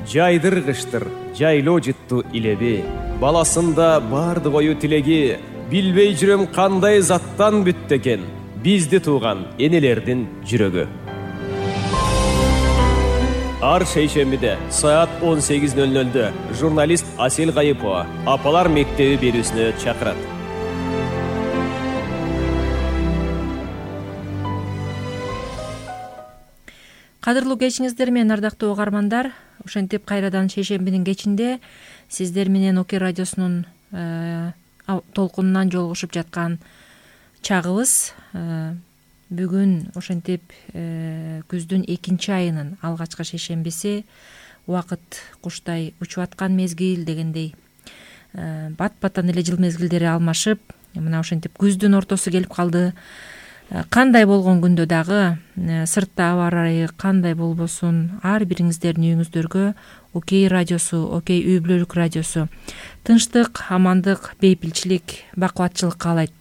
жайдыргычтыр жайлоо жытту илеби, баласында бардык ою тилеги, билбей жүрөм кандай заттан бүттү экен бизди тууган энелердин жүрөгү. Ар шейшембиде саат 18:00 журналист Асель Кайыпова Апалар мектеби берүүсүнө чакырат. Кадырлуу кечиңиздер менен ардактуу угармандар, ошентип кайрадан шейшембинин кечинде сиздер менен ОК радиосунун толкунунан жолугушуп жаткан чагыбыз. Бүгүн ошентип күздүн 2 айынын алгачкы шейшембиси, убакыт куштай учуп аткан мезгил дегендей. Бат-баттан эле жыл мезгилдери алмашып, мына ошентип күздүн ортосу келип калды. Кандай болгон күндө дагы, сыртта аба ырайы кандай болбосун, ар бириңиздердин үйүңүздөргө ОК радиосу, ОК үй бүлөлүк радиосу тынчтык, амандык, бейпилчилик, бакубатчылык каалайт.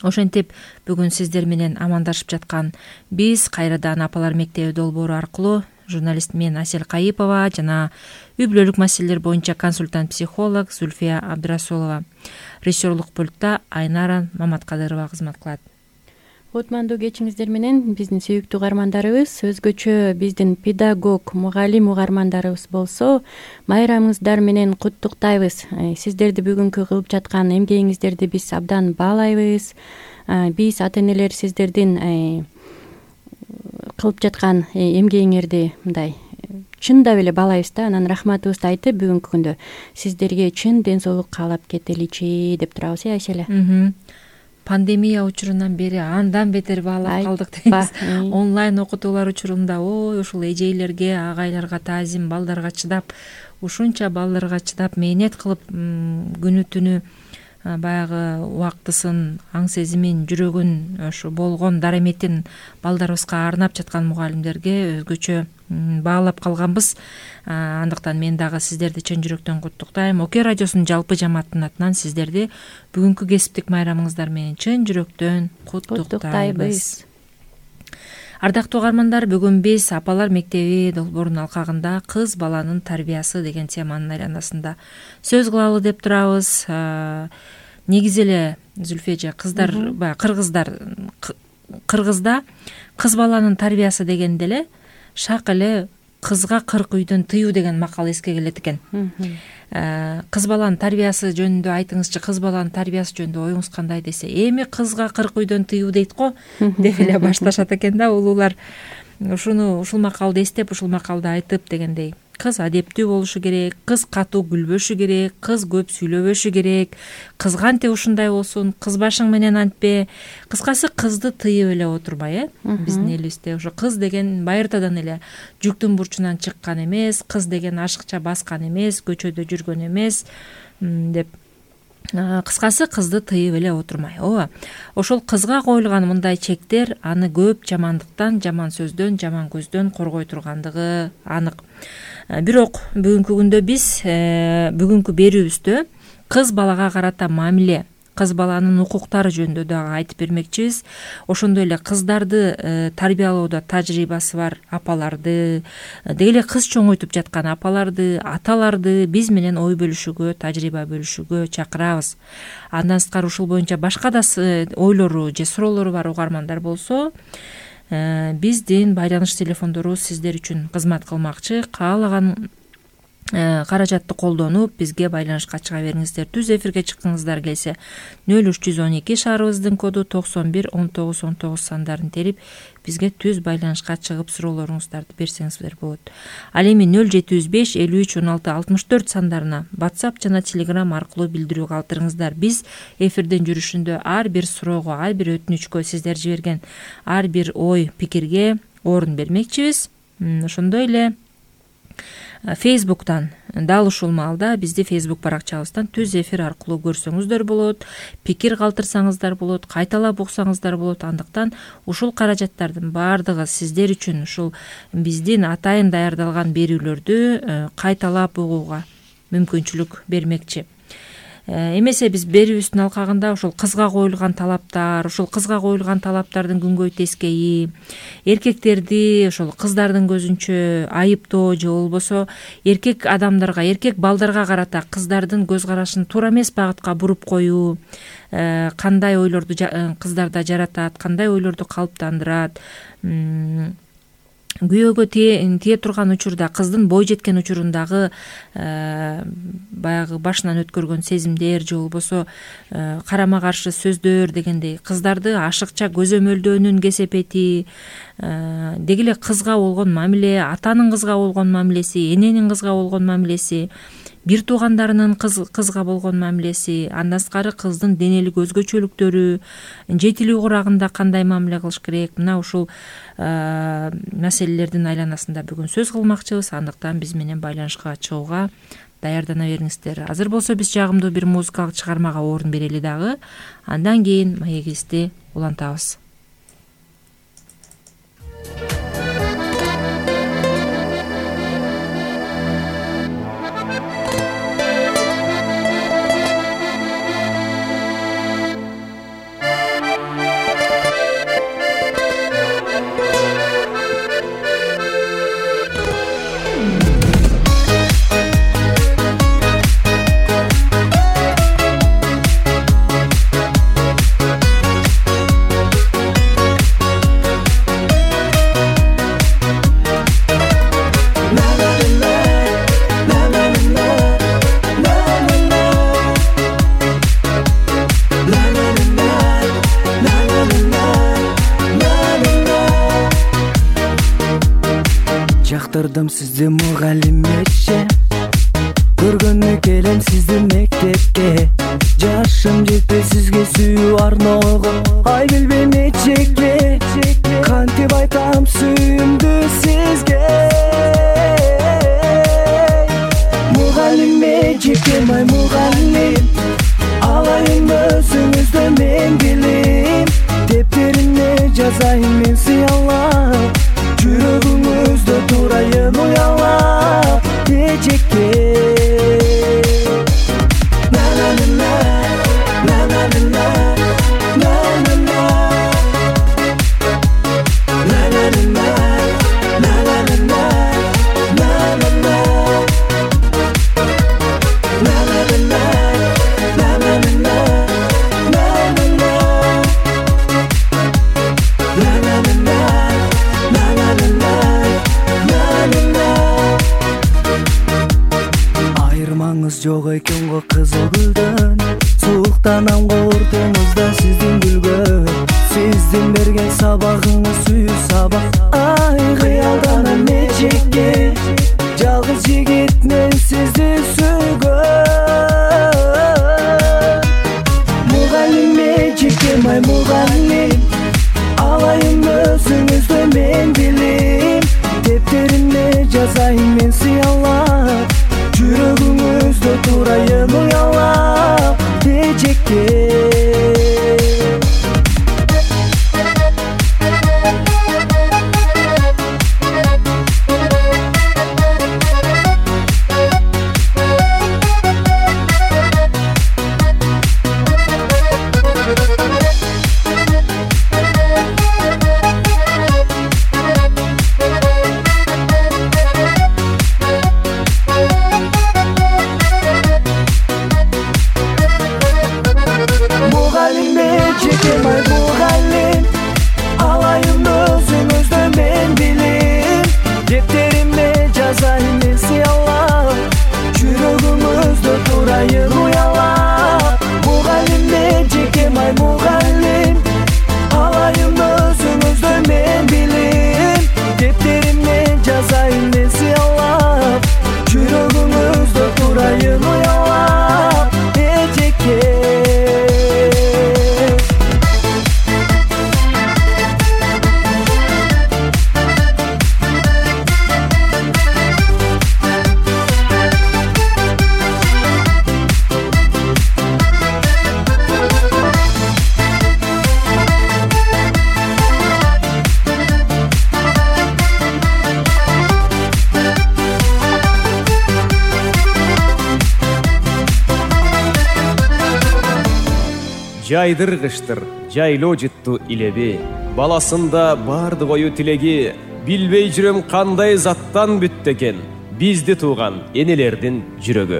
Ошентип бүгүн сиздер менен амандашып жаткан биз кайрадан Апалар мектеби долбоору аркылуу журналист мен Асель Кайыпова жана үй бүлөлүк маселелер боюнча консультант психолог Зульфия Абдрасулова, режиссерлук пультта Айнара Маматкадырова кызмат кылат. Отмандуу кечиңиздер менен биздин сүйүктүү угармандарыбыз, өзгөчө биздин педагог, мугалим угармандарыбыз болсо, майрамыңыздар менен куттуктайбыз. Сиздерди бүгүнкү кылып жаткан эмгегиңиздерди биз абдан баалайбыз. Биз ата-энелер сиздердин кылып жаткан эмгегиңерди мындай чындап эле баалайбыз да. Анан рахматыбызды айтып, бүгүнкү күндө сиздерге чын ден соолук каалап кетеличи деп турабыз, Айселе. Пандемия учурунан бери андан бетер баалап калдык дейбиз. Онлайн окутуулар учурунда ушул эжейлерге, агайларга таазим, балдарга чыдап, ушунча балдарга чыдап, мээнет кылып күнү түнү баягы убактысын, аң сезимин, жүрөгүн, ошо болгон дараметин балдарыбызга арнап жаткан мугалимдерге өзгөчө баалап калганбыз. Андыктан мен дагы сиздерди чын жүрөктөн куттуктайм. ОК радиосунун жалпы жамааттын атынан сиздерди бүгүнкү кесиптик майрамыңыздар менен чын жүрөктөн куттуктайбыз. Ардактуу угармандар, бүгүн биз Апалар мектеби долбоорунун алкагында кыз баланын тарбиясы деген теманын айланасында сөз кылалы деп турабыз. Негизи эле Зүлфежа, Кыргызда кыз баланын тарбиясы дегенде эле шак эле кызга 40 үйдөн тыюу деген макал эске келет экен. Кыз баланын тарбиясы жөнүндө айтыңызчы, кыз баланын тарбиясы жөнүндө оюңуз кандай десе, эми кызга 40 үйдөн тыюу дейт го деп эле башташат экен да улуулар. Ушул макалды эстеп, ушул макалды айтып дегендей. Кыз адептүү болушу керек, кыз катуу күлбөшү керек, кыз көп сүйлөбөшү керек, кыз кантип ушундай болсун, кыз башың менен антпе. Кыскасы кызды тыйып эле отурбай, биздин элибизде ошо кыз деген байыртадан эле жүктүн бурчунан чыккан эмес, кыз деген ашыкча баскан эмес, көчөдө жүргөн эмес деп. Кыскасы кызды тыйып эле отурмай. Ошол кызга коюлган мындай чектер аны көп жамандыктан, жаман сөздөн, жаман көздөн коргой тургандыгы анык. Бирок бүгүнкү күндө биз бүгүнкү берүүбүздө кыз балага карата мамиле, кыз баланын укуктары жөнүндө дагы айтып бермекчибиз. Ошондой эле кыздарды тарбиялоодо тажрыйбасы бар апаларды, деги эле кыз чоңойтуп жаткан апаларды, аталарды биз менен ой бөлүшүүгө, тажрыйба бөлүшүүгө чакырабыз. Андан сырткары ушул боюнча башка да ойлору же суроолору бар угармандар болсо, биздин байланыш телефондорубуз сиздер үчүн кызмат кылмакчы. Каалаган каражатты колдонуп бизге байланышка чыга бериңиздер. Түз эфирге чыккыңыздар келсе 0312 шаарыбыздын коду 911919 сандарын терип бизге түз байланышка чыгып суроолоруңуздарды берсеңиздер болот. Ал эми 0705 53 16 64 сандарына WhatsApp жана Telegram аркылуу билдирүү калтырыңыздар. Биз эфирдин жүрүшүндө ар бир суроого, ар бир өтүнүчкө, сиздер жиберген ар бир ой, пикирге орун бермекчибиз. Ошондой эле Facebook'тан дал ушул маалда бизди Facebook баракчабыздан түз эфир аркылуу көрсөңүздөр болот, пикир калтырсаңыздар болот, кайталап уксаңыздар болот. Андыктан ушул каражаттардын баардыгы сиздер үчүн ушул биздин атайын даярдалган берүүлөрдү кайталап угууга мүмкүнчүлүк бермекчи. эмесе биз берүүбүздүн алкагында ошол кызга коюлган талаптар, ошол кызга коюлган талаптардын күнгөй тескейи, эркектерди ошол кыздардын көзүнчө айыптоо же болбосо эркек адамдарга, эркек балдарга карата кыздардын көз карашын туура эмес багытка буруп коюу, кандай ойлорду кыздарда жаратат, кандай ойлорду калыптандырат, күйөөгө тие турган учурда, кыздын бой жеткен учурундагы баягы башынан өткөргөн сезимдер же болбосо карама каршы сөздөр дегендей, кыздарды ашыкча көзөмөлдөөнүн кесепети, деги эле кызга болгон мамиле, атанын кызга болгон мамилеси, эненин кызга болгон мамилеси, бир туугандарынын кызга болгон мамилеси, андан сырткары кыздын денелик өзгөчөлүктөрү, жетилүү курагында кандай мамиле кылыш керек, мына ушул маселелердин айланасында бүгүн сөз кылмакчыбыз. Андыктан биз менен байланышка чыгууга даярдана бериңиздер. Азыр болсо биз жагымдуу бир музыкалык чыгармага орун берели дагы. Андан кийин маегибизди улантабыз. Жактырдым сизди мугалимече, көргөнү келем сизди мектепке. Жашым жетпей сизге сүйүү арноого, ай билбейм нечеге. Кантип айтам сүйүүмдү сизге. Мугалим эжекем, ай мугалим, алайын өзүңүздө мен билим. Дептерине жазайын мен сыялап, жүрөгүңүздө турайын уялап эжекке. Жок экен го кызыл гүлдөн, сууктанамго ортоңузда сиздин күлгөн. Сиздин берген сабагыңыз сүйүү сабак, ай кыялданам эжекке. Жалгыз жигит мен сизди сүйгөн. Мугалим эжекем, ай мугалим, алайын өзүңүздө мен билим. Дептерине жазайын мен сыялап, жүрөгүңүздө турайын уялап эжекке. жайдыргычтыр, жайлоо жыттуу илеби. Баласында бардык ою тилеги, билбей жүрөм кандай заттан бүттү экен бизди тууган энелердин жүрөгү.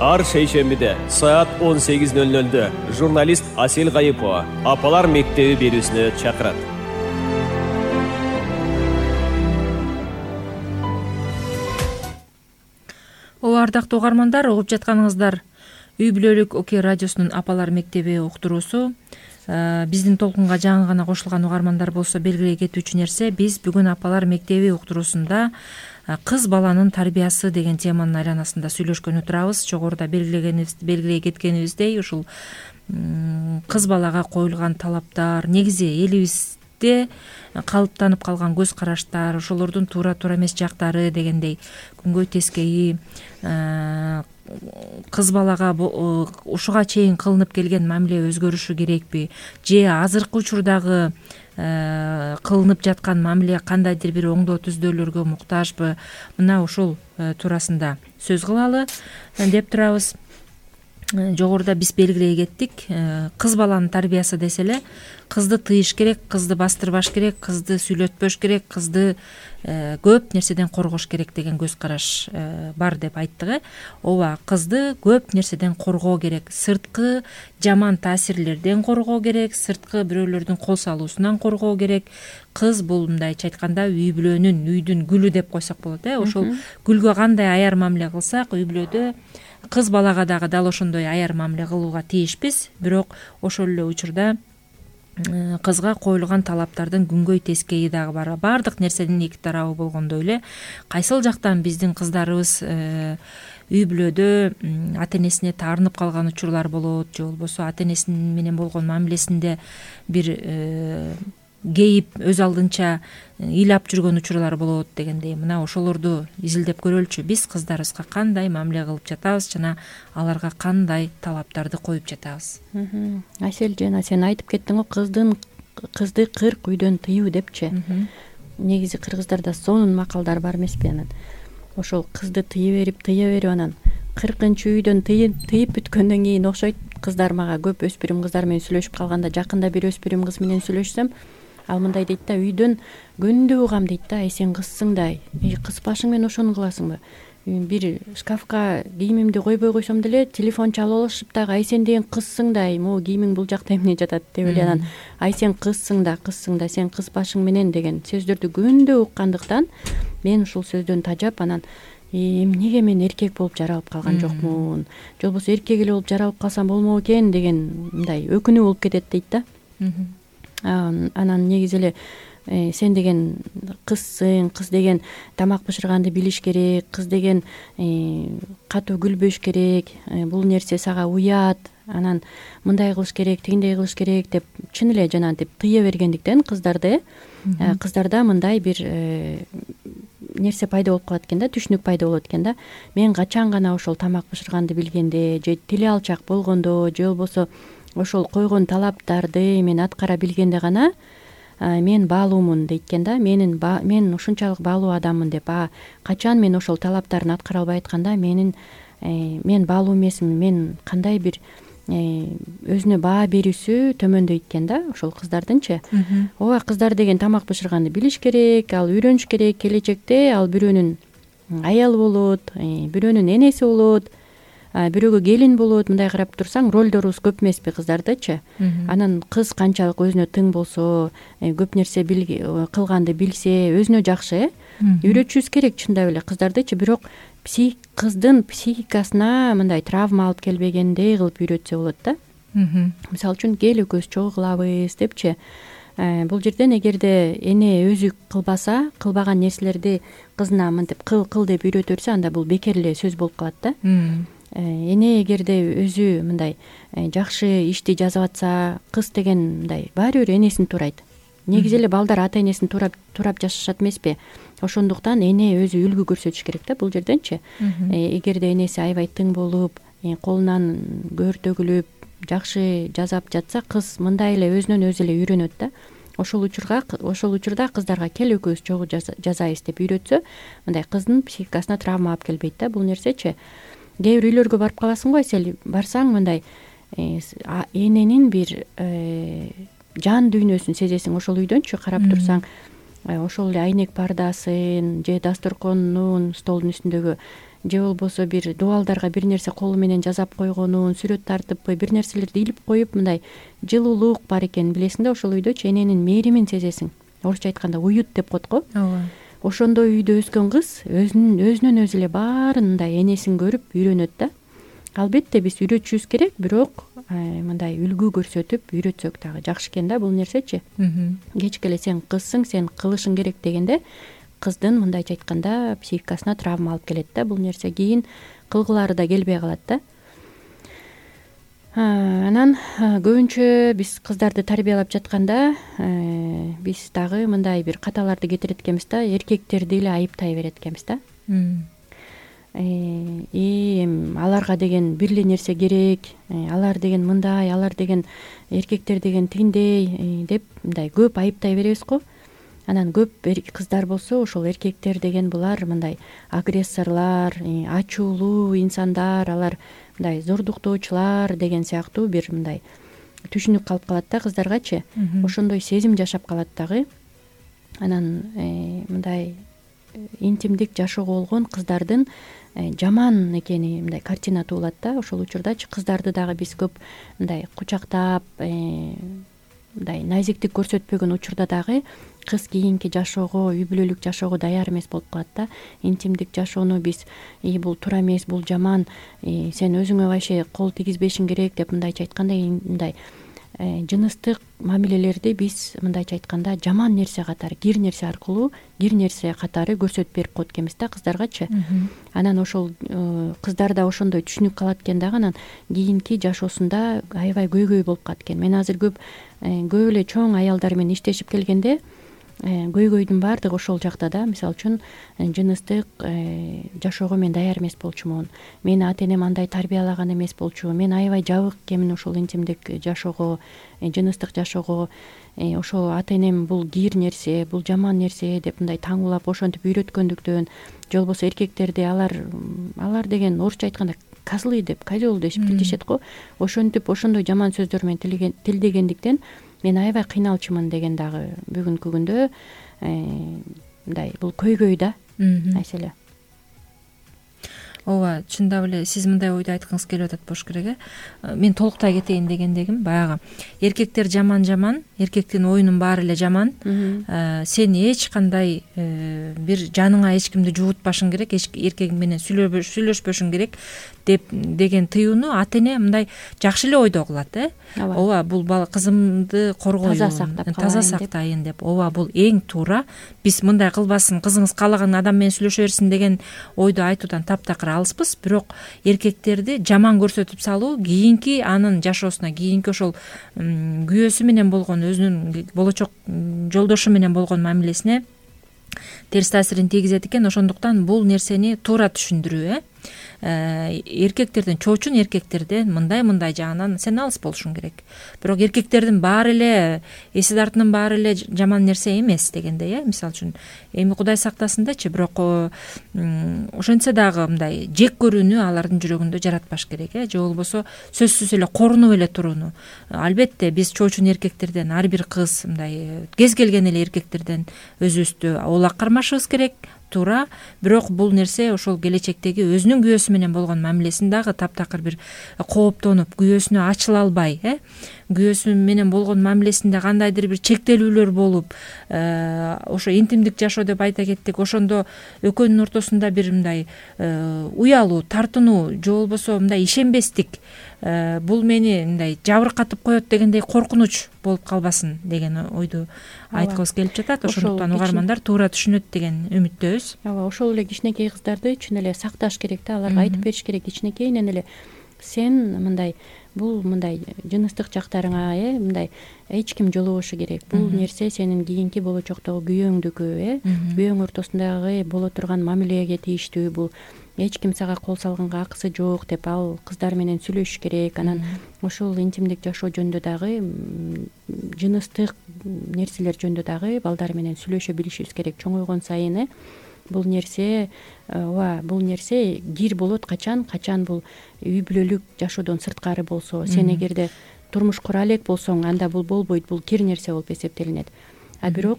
Ар шейшембиде саат 18:00 журналист Асел Гайыпова Апалар мектеби берүүсүнө чакырат. Ардактуу угармандар, угуп жатканыңыздар үй бүлөлүк ОК радиосунун Апалар мектеби уктуруусу. Биздин толкунга жаңы гана кошулган угармандар болсо белгилей кетүүчү нерсе, биз бүгүн Апалар мектеби уктуруусунда кыз баланын тарбиясы деген теманын айланасында сүйлөшкөнү турабыз. Жогоруда белгилей кеткенибиздей, ушул кыз балага коюлган талаптар, негизи элибизде калыптанып калган көз караштар, ошолордун туура эмес жактары дегендей күнгөй тескейи кыз балага ушуга чейин кылынып келген мамиле өзгөрүшү керекпи, же азыркы учурдагы кылынып жаткан мамиле кандайдыр бир оңдоо түздөөлөргө муктажбы, мына ушул туурасында сөз кылалы деп турабыз. Жогоруда биз белгилей кеттик, кыз баланын тарбиясы десе эле кызды тыйыш керек, кызды бастырбаш керек, кызды сүйлөтпөш керек, кызды көп нерседен коргош керек деген көз караш бар деп айттык. Ооба, кызды көп нерседен коргоо керек, сырткы жаман таасирлерден коргоо керек, сырткы бирөөлөрдүн кол салуусунан коргоо керек. Кыз бул мындайча айтканда үй бүлөнүн, үйдүн гүлү деп койсок болот. Ошол гүлгө кандай аяр мамиле кылсак, үй бүлөдө кыз балага дагы дал ошондой аяр мамиле кылууга тийишпиз. Бирок ошол эле учурда кызга коюлган талаптардын күнгөй тескейи дагы бар. Бардык нерсенин эки тарабы болгондой эле кайсыл жактан биздин кыздарыбыз үй бүлөдө ата энесине таарынып калган учурлар болот, же болбосо ата энеси менен болгон мамилесинде бир кейип өз алдынча ыйлап жүргөн учурлар болот дегендей, мына ошолорду изилдеп көрөлүчү. Биз кыздарыбызга кандай мамиле кылып жатабыз жана аларга кандай талаптарды коюп жатабыз. Асель жана сен айтып кеттиң го, кызды 40 үйдөн тыюу депчи. Негизи кыргыздарда сонун макалдар бар эмеспи? Анан ошол кызды тыя берип анан 40-үйдөн тыйып бүткөндөн кийин окшойт. Кыздар мага көп өспүрүм кыздар менен сүйлөшүп калганда, жакында бир өспүрүм кыз менен сүйлөшсөм, ал мындай дейт да, үйдөн күндү угам дейт да, сен кызсың да, кызбашың менен ошону кыласыңбы? Бир шкафка кийимимди койбой койсом деле телефон чалып алышып дагы, сен деген кызсың да, могу кийимиң бул жакта эмне жатат деп эле анан сен кызсың да, сен кызбашың менен деген сөздөрдү күндү уккандыктан мен ушул сөздөн тажап, анан эмнеге мен эркек болуп жаралып калган жокмун, же болбосо эркек эле болуп жаралып калсам болмок экен деген мындай өкүнүү болуп кетет дейт да. Анан негизи эле сен деген кызсың, кыз деген тамак бышырганды билиш керек, кыз деген катуу күлбөш керек, бул нерсе сага уят, анан мындай кылыш керек, тигиндей кылыш керек деп чын эле жанагынтип тыя бергендиктен кыздарда мындай бир нерсе пайда болуп калат экен да, түшүнүк пайда болот экен да. Мен качан гана ошол тамак бышырганды билгенде, же тили алчак болгондо, же болбосо ошол койгон талаптарды мен аткара билгенде гана мен баалуумун дейт экен да. Мен ушунчалык баалуу адаммын деп, качан мен ошол талаптарын аткара албай атканда мен баалуу эмесмин, мен кандай бир өзүнө баа берүүсү төмөндөйт экен да ошол кыздардынчы. Ооба, кыздар деген тамак бышырганды билиш керек, ал үйрөнүш керек. Келечекте ал бирөөнүн аялы болот, бирөөнүн энеси болот, бирөөгө келин болот. Мындай карап турсаң, ролдорубуз көп эмеспи кыздардычы. Анан кыз канчалык өзүнө тың болсо, көп нерсе кылганды билсе, өзүнө жакшы үйрөтүшүбүз керек чындап эле кыздардычы. Бирок кыздын психикасына мындай травма алып келбегендей кылып үйрөтсө болот да. Мисалы үчүн кел экөөбүз чогуу кылабыз депчи. Бул жерден эгерде эне өзү кылбаса, кылбаган нерселерди кызына мынтип кыл деп үйрөтө берсе, анда бул бекер эле сөз болуп калат да. Эне эгерде өзү мындай жакшы ишти жазып атса, кыз деген мындай баары бир энесин туурайт. Негизи эле балдар ата энесин туурап жашашат эмеспи? Ошондуктан эне өзү үлгү көрсөтүш керек да бул жерденчи. Эгерде энеси аябай тың болуп, колунан көр төгүлүп, жакшы жазап жатса, кыз мындай эле өзүнөн өзү эле үйрөнөт да. Ошол учурда кыздарга кел экөөбүз чогуу жазайбыз деп үйрөтсө, мындай кыздын психикасына травма алып келбейт да бул нерсечи. кээ бир үйлөргө барып каласың го, сен барсаң мындай эненин бир жан дүйнөсүн сезесиң. Ошол үйдөнчү карап турсаң, ошол эле айнек пардасын же дасторконунун столдун үстүндөгү же болбосо бир дубалдарга бир нерсе колу менен жазап койгонун, сүрөт тартып бир нерселерди илип коюп мындай жылуулук бар экенин билесиң да. Ошол үйдөчү эненин мээримин сезесиң. Орусча айтканда уют деп коет го. ооба. Ошондой үйдө өскөн кыз өзүнөн өзү эле баарын мындай энесин көрүп үйрөнөт да. Албетте биз үйрөтүшүбүз керек, бирок мындай үлгү көрсөтүп үйрөтсөк дагы жакшы экен да бул нерсечи. Кечке эле сен кызсың, сен кылышың керек дегенде кыздын мындайча айтканда психикасына травма алып келет да бул нерсе. Кийин кылгылары да келбей калат да. Анан көбүнчө биз кыздарды тарбиялап жатканда биз дагы мындай бир каталарды кетирет экенбиз да, эркектерди эле айыптай берет экенбиз да. Аларга деген бир эле нерсе керек, алар деген мындай, алар деген эркектер деген тигиндей деп мындай көп айыптай беребиз го. Анан көп кыздар болсо ошол эркектер деген булар мындай агрессорлор, ачуулуу инсандар, алар мындай зордуктоочулар деген сыяктуу бир мындай түшүнүк калып калат да кыздаргачы. Ошондой сезим жашап калат дагы. Анан мындай интимдик жашоого болгон кыздардын жаман экени мындай картина туулат да. Ошол учурдачы кыздарды дагы биз көп мындай кучактап мындай назиктик көрсөтпөгөн учурда дагы кыз кийинки жашоого, үй бүлөлүк жашоого даяр эмес болуп калат да. Интимдик жашоону биз бул туура эмес, бул жаман, сен өзүңө вообще кол тийгизбешиң керек деп мындайча айтканда мындай жыныстык мамилелерди биз мындайча айтканда жаман нерсе катары, кир нерсе аркылуу, кир нерсе катары көрсөтүп берип коет экенбиз да кыздаргачы. Анан ошол кыздар да ошондой түшүнүк калат экен дагы. Анан кийинки жашоосунда аябай көйгөй болуп калат экен. Мен азыр көп эле чоң аялдар менен иштешип келгенде көйгөйдүн баардыгы ошол жакта да. Мисалы үчүн жыныстык жашоого мен даяр эмес болчумун, мени ата энем андай тарбиялаган эмес болчу, мен аябай жабык экенмин ошол интимдик жашоого, жыныстык жашоого, ошол ата энем бул кир нерсе, бул жаман нерсе деп мындай таңуулап ошентип үйрөткөндүктөн, же болбосо эркектерди алар деген орусча айтканда козлы деп, козел деп тилдешет го. Ошентип ошондой жаман сөздөр менен тилдегендиктен мен аябай кыйналчумун деген дагы бүгүнкү күндө мындай бул көйгөй да маселе. Ооба, чындап эле сиз мындай ойду айткыңыз келип атат болуш керек. Мен толуктай кетейин дегендегим баягы эркектер жаман, эркектин оюнун баары эле жаман. Сен эч кандай бир жаныңа эч кимди жуутпашың керек, эркегиң менен сүйлөшпөшүң керек деген тыюуну ата эне мындай жакшы эле ойдо кылат. Ооба, бул бала кызымды коргоюн, таза сактайын деп. Ооба, бул эң туура. Биз мындай кылбасын, кызыңыз каалаган адам менен сүйлөшө берсин деген ойду айтуудан таптакыр алыспыз. Бирок эркектерди жаман көрсөтүп салуу кийинки анын жашоосуна, кийинки ошол күйөөсү менен болгон, өзүнүн болочок жолдошу менен болгон мамилесине терс таасирин тийгизет экен. Ошондуктан бул нерсени туура түшүндүрүү, эркектерден, чоочун эркектерден мындай жагынан сен алыс болушуң керек. Бирок эркектердин баары эле, эси тартынын баары эле жаман нерсе эмес дегендей, мисалы үчүн эми Кудай сактасындачы, бирок ошентсе дагы мындай жек көрүүнү алардын жүрөгүндө жаратпаш керек, же болбосо сөзсүз эле корунуп эле турууну. Албетте биз чоочун эркектерден, ар бир кыз мындай кез келген эле эркектерден өзүбүздү улак кармашыбыз керек, туура. Бирок бул нерсе ошол келечектеги өзүнүн күйөөсү менен болгон мамилесин дагы таптакыр бир кооптонуп, күйөөсүнө ачыла албай, күйөөсү менен болгон мамилесинде кандайдыр бир чектелүүлөр болуп, ошо интимдик жашоо деп айта кеттик, ошондо экөөнүн ортосунда бир мындай уялуу, тартынуу, же болбосо мындай ишенбестик, бул мени мындай жабыркатып коет дегендей коркунуч болуп калбасын деген ойду айткыбыз келип жатат. Ошондуктан угармандар туура түшүнөт деген үмүттөбүз. Ооба, ошол эле кичинекей кыздарды чын эле сакташ керек да, аларга айтып бериш керек кичинекейинен эле. Сен мындай бул мындай жыныстык жактарыңа мындай эч ким жолобошу керек. Бул нерсе сенин кийинки болочоктогу күйөөңдүкү, күйөөң ортосундагы боло турган мамилеге тийиштүү. Бул эч ким сага кол салганга акысы жок деп ал кыздар менен сүйлөшүш керек. Анан ошол интимдик жашоо жөнүндө дагы, жыныстык нерселер жөнүндө дагы балдар менен сүйлөшө билишибиз керек чоңойгон сайын. бул нерсе ооба бул нерсе кир болот качан бул үй бүлөлүк жашоодон сырткары болсо, сен эгерде турмуш кура элек болсоң, анда бул болбойт, бул кир нерсе болуп эсептелинет. А бирок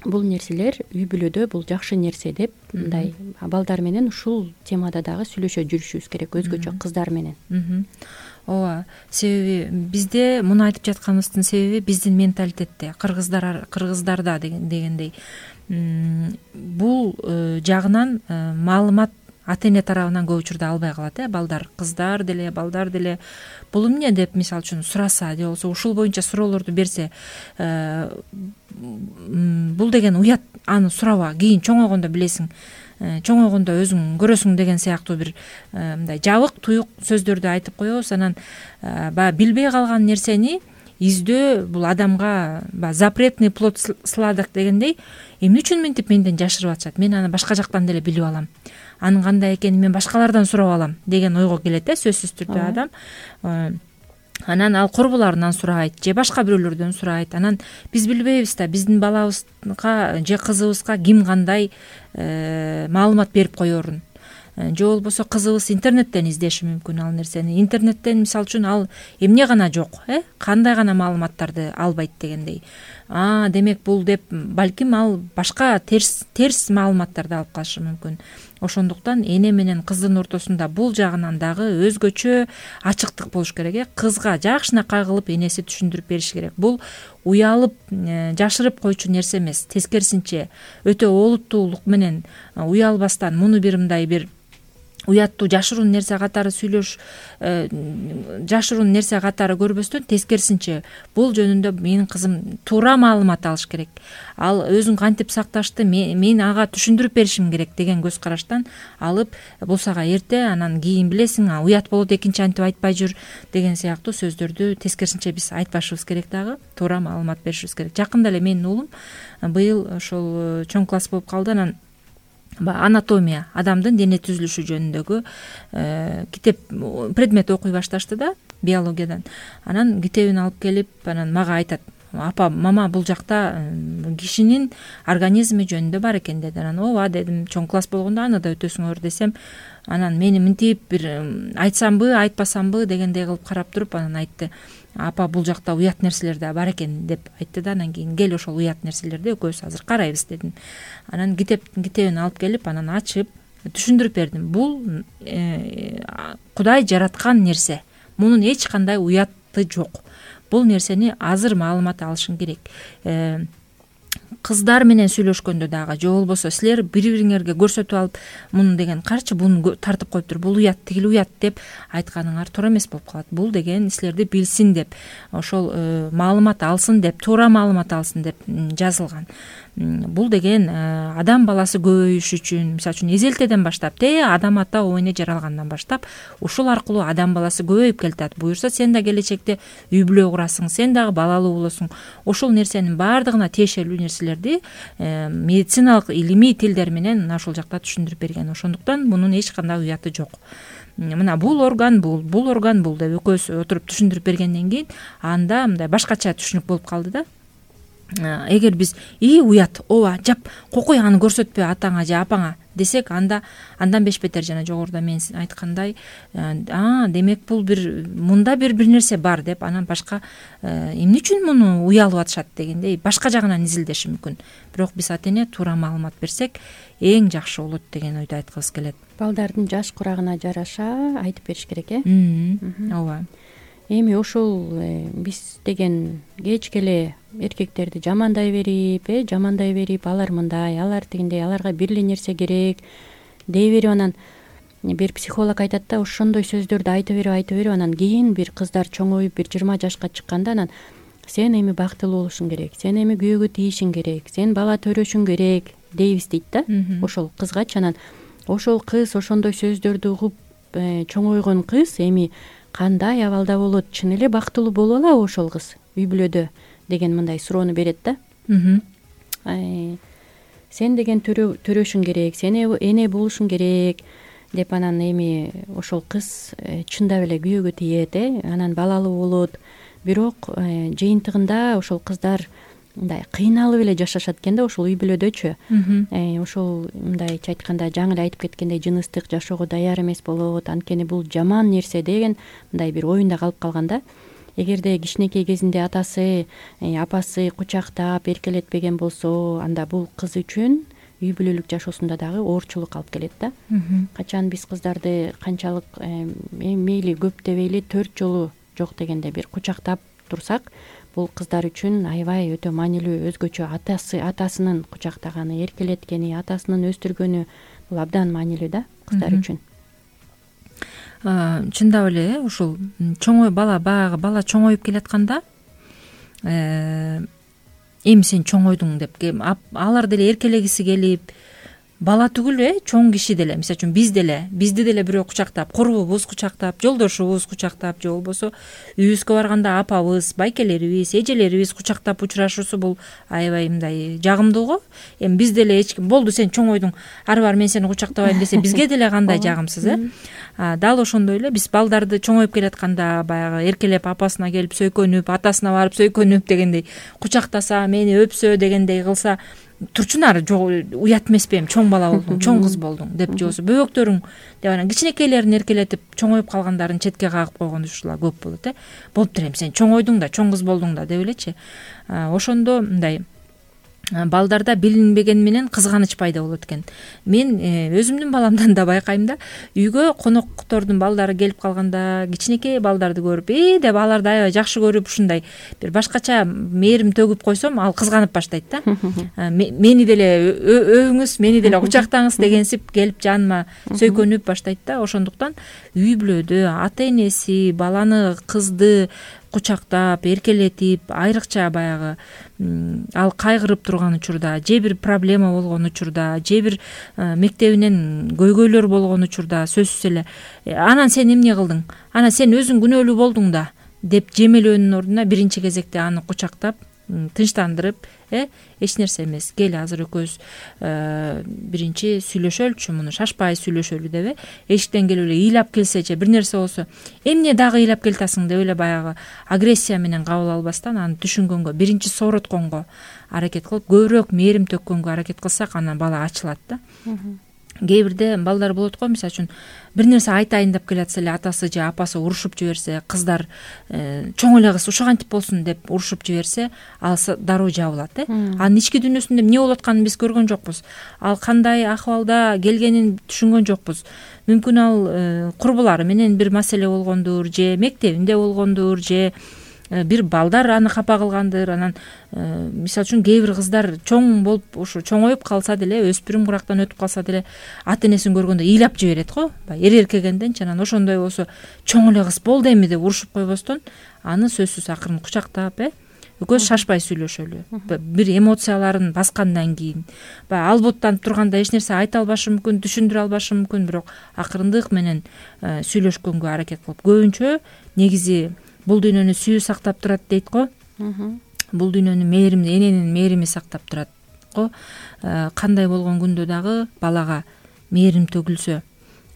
бул нерселер үй бүлөдө бул жакшы нерсе деп мындай балдар менен ушул темада дагы сүйлөшө жүрүшүбүз керек, өзгөчө кыздар менен. ооба, себеби бизде муну айтып жатканыбыздын себеби биздин менталитетте, кыргыздарда дегендей бул жагынан маалымат ата эне тарабынан көп учурда албай калат. Балдар, кыздар деле, балдар деле бул эмне деп мисалы үчүн сураса же болбосо ушул боюнча суроолорду берсе, бул деген уят, аны сураба, кийин чоңойгондо билесиң, чоңойгондо өзүң көрөсүң деген сыяктуу бир мындай жабык туюк сөздөрдү айтып коебуз. Анан баягы билбей калган нерсени издөө бул адамга запретный плод сладок дегендей, эмне үчүн мынтип менден жашырып атышат, мен аны башка жактан деле билип алам, анын кандай экенин мен башкалардан сурап алам деген ойго келет сөзсүз түрдө адам. Анан ал корбуларынан сурайт же башка бирөөлөрдөн сурайт. Анан биз билбейбиз да биздин балабызга же кызыбызга ким кандай маалымат берип коерун. Же болбосо кызыбыз интернеттен издеши мүмкүн ал нерсени. Интернеттен мисалы үчүн ал эмне гана жок, кандай гана маалыматтарды албайт дегендей. Демек бул деп балким ал башка терс маалыматтарды алып калышы мүмкүн. Ошондуктан эне менен кыздын ортосунда бул жагынан дагы өзгөчө ачыктык болуш керек. Кызга жакшына кагылып энеси түшүндүрүп бериш керек. Бул уялып жашырып койчу нерсе эмес, тескерисинче өтө олуттуулук менен уялбастан муну бир мындай бир уяттуу жашыруун нерсе катары жашыруун нерсе катары көрбөстөн, тескерисинче бул жөнүндө менин кызым туура маалымат алыш керек, ал өзүн кантип сакташты мен ага түшүндүрүп беришим керек деген көз караштан алып, болсага эрте, анан кийин билесиң, уят болот, экинчи антип айтпай жүр деген сыяктуу сөздөрдү тескерисинче биз айтпашыбыз керек, дагы туура маалымат беришибиз керек. Жакында эле менин уулум быйыл ошол чоң класс болуп калды. Анан анатомия, адамдын дене түзүлүшү жөнүндөгү китеп, предмет окуй башташты да, биологиядан. Анан китебин алып келип, анан мага айтат: апа, мама, бул жакта кишинин организми жөнүндө бар экен деди. Анан ооба дедим, чоң класс болгондо аны да өтөсүңөр десем, анан мени мынтип бир айтсамбы, айтпасамбы дегендей кылып карап туруп, анан айтты: апа, бул жакта уят нерселер да бар экен деп айтты да. Анан кийин кел ошол уят нерселерди экөөбүз азыр карайбыз дедим. Анан китебин алып келип, анан ачып түшүндүрүп бердим. Бул Кудай жараткан нерсе, мунун эч кандай уяты жок. Бул нерсени азыр маалымат алышың керек. Кыздар менен сүйлөшкөндө дагы же болбосо силер бири-бириңерге көрсөтүп алып, муну деген карчы, буну тартып коюптур, бул уят, тигил уят деп айтканыңар туура эмес болуп калат. Бул деген силерди билсин деп, ошол маалымат алсын деп, туура маалымат алсын деп жазылган. Бул деген адам баласы көбөйүш үчүн, мисалы үчүн эзелтеден баштап, адам ата оо эне жаралгандан баштап ушул аркылуу адам баласы көбөйүп келатат. Буюрса сен да келечекте үй бүлө курасың, сен дагы балалуу болосуң. Ошол нерсенин баардыгына тиешелүү нерселерди медициналык илимий тилдер менен ошол жакта түшүндүрүп берген. Ошондуктан мунун эч кандай уяты жок. Мына бул орган бул деп экөөбүз отуруп түшүндүрүп бергенден кийин анда мындай башкача түшүнүк болуп калды да. Эгер биз уят, ооба, жап, кокуй, аны көрсөтпө атаңа же апаңа десек, андан беш бетер жана жогоруда мен айткандай, демек бул мында бир нерсе бар деп, анан башка эмне үчүн муну уялып атышат дегендей башка жагынан изилдеши мүмкүн. Бирок биз ата эне туура маалымат берсек эң жакшы болот деген ойду айткыбыз келет. Балдардын жаш курагына жараша айтып бериш керек, ооба. Эми ошол биз деген кечке эле эркектерди жамандай берип, алар мындай, алар тигиндей, аларга бир эле нерсе керек дей берип, анан бир психолог айтат да, ошондой сөздөрдү айта берип, анан кийин бир кыздар чоңоюп бир 20 жашка чыкканда анан сен эми бактылуу болушуң керек, сен эми күйөөгө тийишиң керек, сен бала төрөшүң керек дейбиз дейт да ошол кызгачы. Анан ошол кыз, ошондой сөздөрдү угуп чоңойгон кыз эми кандай абалда болот, чын эле бактылуу боло алабы ошол кыз үй бүлөдө деген мындай суроону берет да. Сен деген төрөшүң керек, сен эне болушуң керек деп, анан эми ошол кыз чындап эле күйөөгө тиет, анан балалуу болот. Бирок жыйынтыгында ошол кыздар мындай кыйналып эле жашашат экен да ошол үй бүлөдөчү. Ошол мындайча айтканда жаңы эле айтып кеткендей жыныстык жашоого даяр эмес болот, анткени бул жаман нерсе деген мындай бир оюнда калып калган да. Эгерде кичинекей кезинде атасы, апасы кучактап эркелетпеген болсо, анда бул кыз үчүн үй бүлөлүк жашоосунда дагы оорчулук алып келет да. Качан биз кыздарды канчалык мейли көп дебейли 4 жолу жок дегенде бир кучактап турсак, бул кыздар үчүн аябай өтө маанилүү, өзгөчө атасынын кучактаганы, эркелеткени, атасынын өстүргөнү бул абдан маанилүү да кыздар үчүн. Чындап эле ушул чоңой баягы бала чоңоюп келатканда эми сен чоңойдуң деп алар деле эркелегиси келип, бала түгүл чоң киши деле, мисалы үчүн бизди деле бирөө кучактап, курбубуз кучактап, жолдошубуз кучактап, же болбосо үйүбүзгө барганда апабыз, байкелерибиз, эжелерибиз кучактап учурашуусу бул аябай мындай жагымдуу го. Эми биз деле эч ким болду сен чоңойдуң, ары бар мен сени кучактабайм десе, бизге деле кандай жагымсыз Дал ошондой эле биз балдарды чоңоюп келатканда баягы эркелеп апасына келип сөйкөнүп, атасына барып сөйкөнүп дегендей, кучактаса, мени өпсө дегендей кылса, турчунар уят эмеспи, эми чоң бала болдуң, чоң кыз болдуң деп, же болбосо бөбөктөрүң деп анан кичинекейлерин эркелетип чоңоюп калгандарын четке кагып койгон ушулар көп болот. Болуптур эми сен чоңойдуң да, чоң кыз болдуң да деп элечи. Ошондо мындай балдарда билинбеген менен кызганыч пайда болот экен. Мен өзүмдүн баламдан да байкайм да, үйгө коноктордун балдары келип калганда, кичинекей балдарды көрүп, деп аларды аябай жакшы көрүп, ушундай бир башкача мээрим төгүп койсом, ал кызганып баштайт да. Мени деле өбүңүз, мени деле кучактаңыз дегенсип келип жаныма сөйкөнүп баштайт да. Ошондуктан үй бүлөдө ата энеси баланы, кызды кучактап, эркелетип, айрыкча баягы ал кайгырып турган учурда, же бир проблема болгон учурда, же бир мектебинен көйгөйлөр болгон учурда сөзсүз эле анан сен эмне кылдың, анан сен өзүң күнөөлүү болдуң да деп жемелөөнүн ордуна биринчи кезекте аны кучактап, тынчтандырып, эч нерсе эмес, кел азыр экөөбүз биринчи сүйлөшөлүчү, муну шашпай сүйлөшөлү деп, эшиктен келип эле ыйлап келсечи, бир нерсе болсо, эмне дагы ыйлап келатасың деп эле баягы агрессия менен кабыл албастан, аны түшүнгөнгө, биринчи соорутконго аракет кылып, көбүрөөк мээрим төккөнгө аракет кылсак, анан бала ачылат да. Кээ бирде балдар болот го, мисалы үчүн бир нерсе айтайын деп келатса эле атасы же апасы урушуп жиберсе, кыздар чоң эле кыз ушу кантип болсун деп урушуп жиберсе, ал дароо жабылат. Анын ички дүйнөсүндө эмне болуп атканын биз көргөн жокпуз. Ал кандай акыбалда келгенин түшүнгөн жокпуз. Мүмкүн ал курбулары менен бир маселе болгондур, же мектебинде болгондур, же бир балдар аны капа кылгандыр. Анан мисалы үчүн кээ бир кыздар чоң болуп, ушу чоңоюп калса деле, өспүрүм курактан өтүп калса деле, ата энесин көргөндө ыйлап жиберет го, эркегенденчи. Анан ошондой болсо, чоң эле кыз болду эми деп урушуп койбостон, аны сөзсүз акырын кучактап, экөөбүз шашпай сүйлөшөлү. Бир эмоцияларын баскандан кийин, албуттанып турганда эч нерсе айта албашы мүмкүн, түшүндүрө албашы мүмкүн, бирок акырындык менен сүйлөшкөнгө аракет кылып, көбүнчө негизи бул дүйнөнү сүйүү сактап турат дейт го. Бул дүйнөнү эненин мээрими сактап турат го. Кандай болгон күндө дагы балага мээрим төгүлсө,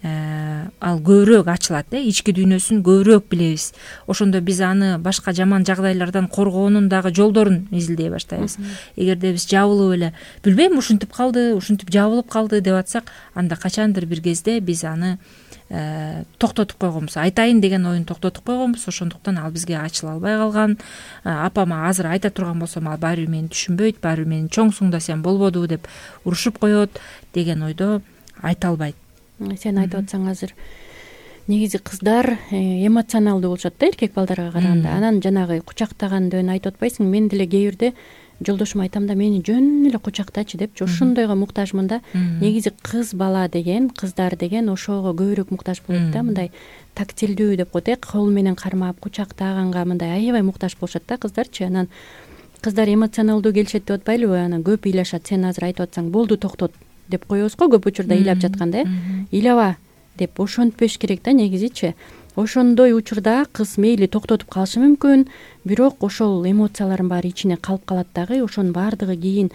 ал көбүрөөк ачылат, ички дүйнөсүн көбүрөөк билебиз. Ошондо биз аны башка жаман жагдайлардан коргоонун дагы жолдорун изилдей баштайбыз. Эгерде биз жабылып эле, билбейм, ушинтип калды, ушинтип жабылып калды деп атсак, анда качандыр бир кезде биз аны токтотуп койгонбуз, айтайын деген оюн токтотуп койгонбуз. Ошондуктан ал бизге ачыла албай калган. Апама азыр айта турган болсом, ал баары бир мени түшүнбөйт, баары бир менин чоңсуң да сен болбоду деп урушуп коет деген ойдо айта албайт. Сен айтып атсаң, азыр негизи кыздар эмоционалдуу болушат да эркек балдарга караганда. Анан жанагы кучактагандөн айтып атпайсың, мен деле кээ бирде жолдошума айтам да, мени жөн эле кучактачы депчи, ошондойго муктажмын да. Негизи кыз бала деген, кыздар деген ошого көбүрөөк муктаж болот да, мындай тактилдүү деп коет, кол менен кармап, кучактаганга мындай аябай муктаж болушат да кыздарчы. Анан кыздар эмоционалдуу келишет деп атпайлыбы, анан көп ыйлашат. Сен азыр айтып атсаң, болду токтот деп коебуз го көп учурда ыйлап жатканда, ыйлаба деп ошентпеш керек да негизичи. Ошондой учурда кыз мейли токтотуп калышы мүмкүн, бирок ошол эмоциялардын баары ичине калып калат дагы. Ошонун баардыгы кийин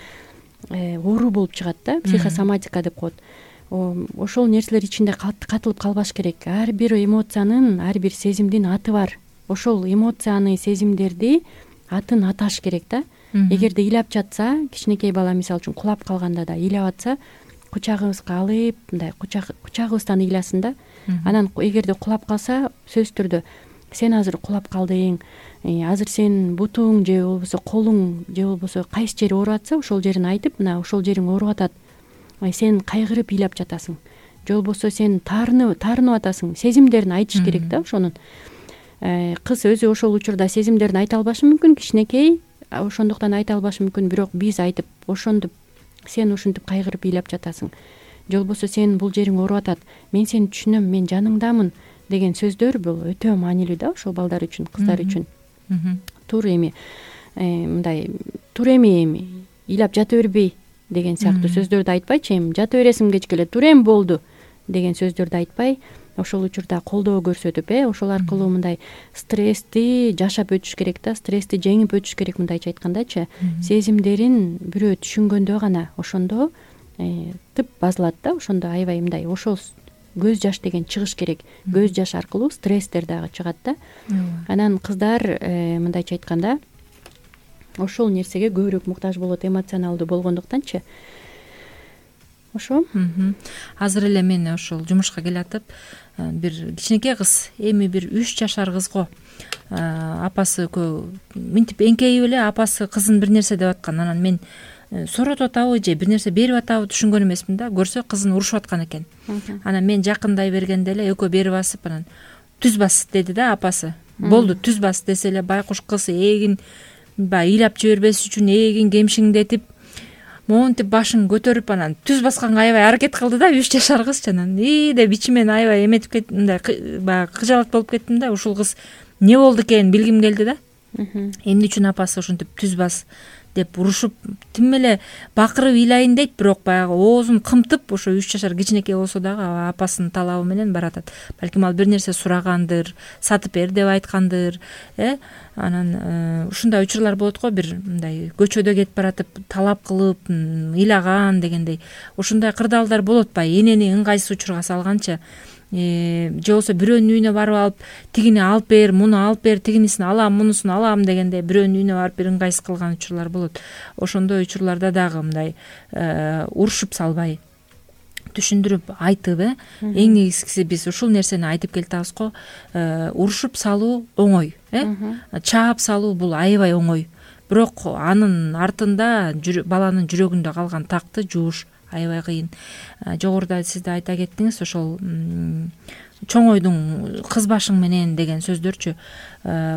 оору болуп чыгат да, психосоматика деп коет. Ошол нерселер ичинде катылып калбаш керек. Ар бир эмоциянын, ар бир сезимдин аты бар. Ошол эмоцияны, сезимдерди атын аташ керек да. эгерде ыйлап жатса, кичинекей бала мисалы үчүн кулап калганда да ыйлап атса, кучагыбызга алып мындай кучагыбыздан ыйласын да. Анан эгерде кулап калса, сөзсүз түрдө сен азыр кулап калдың, азыр сен бутуң же болбосо колуң же болбосо кайсы жери ооруп атса, ошол жерин айтып, мына ошол жериң ооруп атат, сен кайгырып ыйлап жатасың, же болбосо сен таарынып атасың, сезимдерин айтыш керек да. Ошонун кыз өзү ошол учурда сезимдерин айта албашы мүмкүн, кичинекей, ошондуктан айта албашы мүмкүн, бирок биз айтып ошентип сен ушинтип кайгырып ыйлап жатасың, же болбосо сен бул жериң ооруп атат, мен сени түшүнөм, мен жаныңдамын деген сөздөр бул өтө маанилүү да ошол балдар үчүн, кыздар үчүн. Тур эми мындай тур эми ыйлап жата бербей деген сыяктуу сөздөрдү айтпайчы, эми жата бересиң кечке эле, тур эми болду деген сөздөрдү айтпай, ошол учурда колдоо көрсөтүп, ошол аркылуу мындай стрессти жашап өтүш керек да, стрессти жеңип өтүш керек, мындайча айткандачы. Сезимдерин бирөө түшүнгөндө гана ошондо тып базылат да, ошондо аябай мындай ошол көз жаш деген чыгыш керек. Көз жаш аркылуу стресстер дагы чыгат да. Анан кыздар мындайча айтканда ошол нерсеге көбүрөөк муктаж болот, эмоционалдуу болгондуктанчы. Ошо. Азыр эле мен ошол жумушка келатып, бир кичинекей кыз, эми бир 3 жашар кыз го. Апасы мынтип эңкейип эле апасы кызын бир нерсе деп аткан. Анан мен сооротуп атабы же бир нерсе берип атабы түшүнгөн эмесмин да. Көрсө кызын урушуп аткан экен. Анан мен жакындай бергенде эле экөө бери басып, анан түз бас деди да апасы. Болду, түз бас десе эле байкуш кыз эгин баягы ыйлап жибербес үчүн эгин кемшиңдетип, монтип башын көтөрүп анан түз басканга аябай аракет кылды да, 3 жашар кыз. Анан деп ичимен аябай эметип кеттим, мындай баягы кыжалат болуп кеттим да. Ушул кыз эмне болду экенин билгим келди да. Эмне үчүн апасы ошентип түз бас деп урушуп, тим эле бакырып ыйлайын дейт, бирок баягы оозун кымтып, ошо 3 жашар кичинекей болсо дагы апасынын талабы менен баратат. Балким ал бир нерсе сурагандыр, сатып бер деп айткандыр, анан ушундай учурлар болот го, бир мындай көчөдө кетип баратып талап кылып ыйлаган дегендей. Ушундай кырдаалдар болот баягы энени ыңгайсыз учурга салганчы. Же болбосо бирөөнүн үйүнө барып алып, тигини алып бер, муну алып бер, тигинисин алам, мунусун алам дегенде бирөөнүн үйүнө барып бир ыңгайсыз кылган учурлар болот. Ошондой учурларда дагы мындай урушуп салбай, түшүндүрүп айтып, эң негизгиси биз ушул нерсени айтып келатабыз го. Урушуп салуу оңой, чаап салуу бул аябай оңой. Бирок анын артында баланын жүрөгүндө калган такты жууш аябай кыйын. Жогоруда сиз да айта кеттиңиз, ошол чоңойдуң кыз башың менен деген сөздөрчү.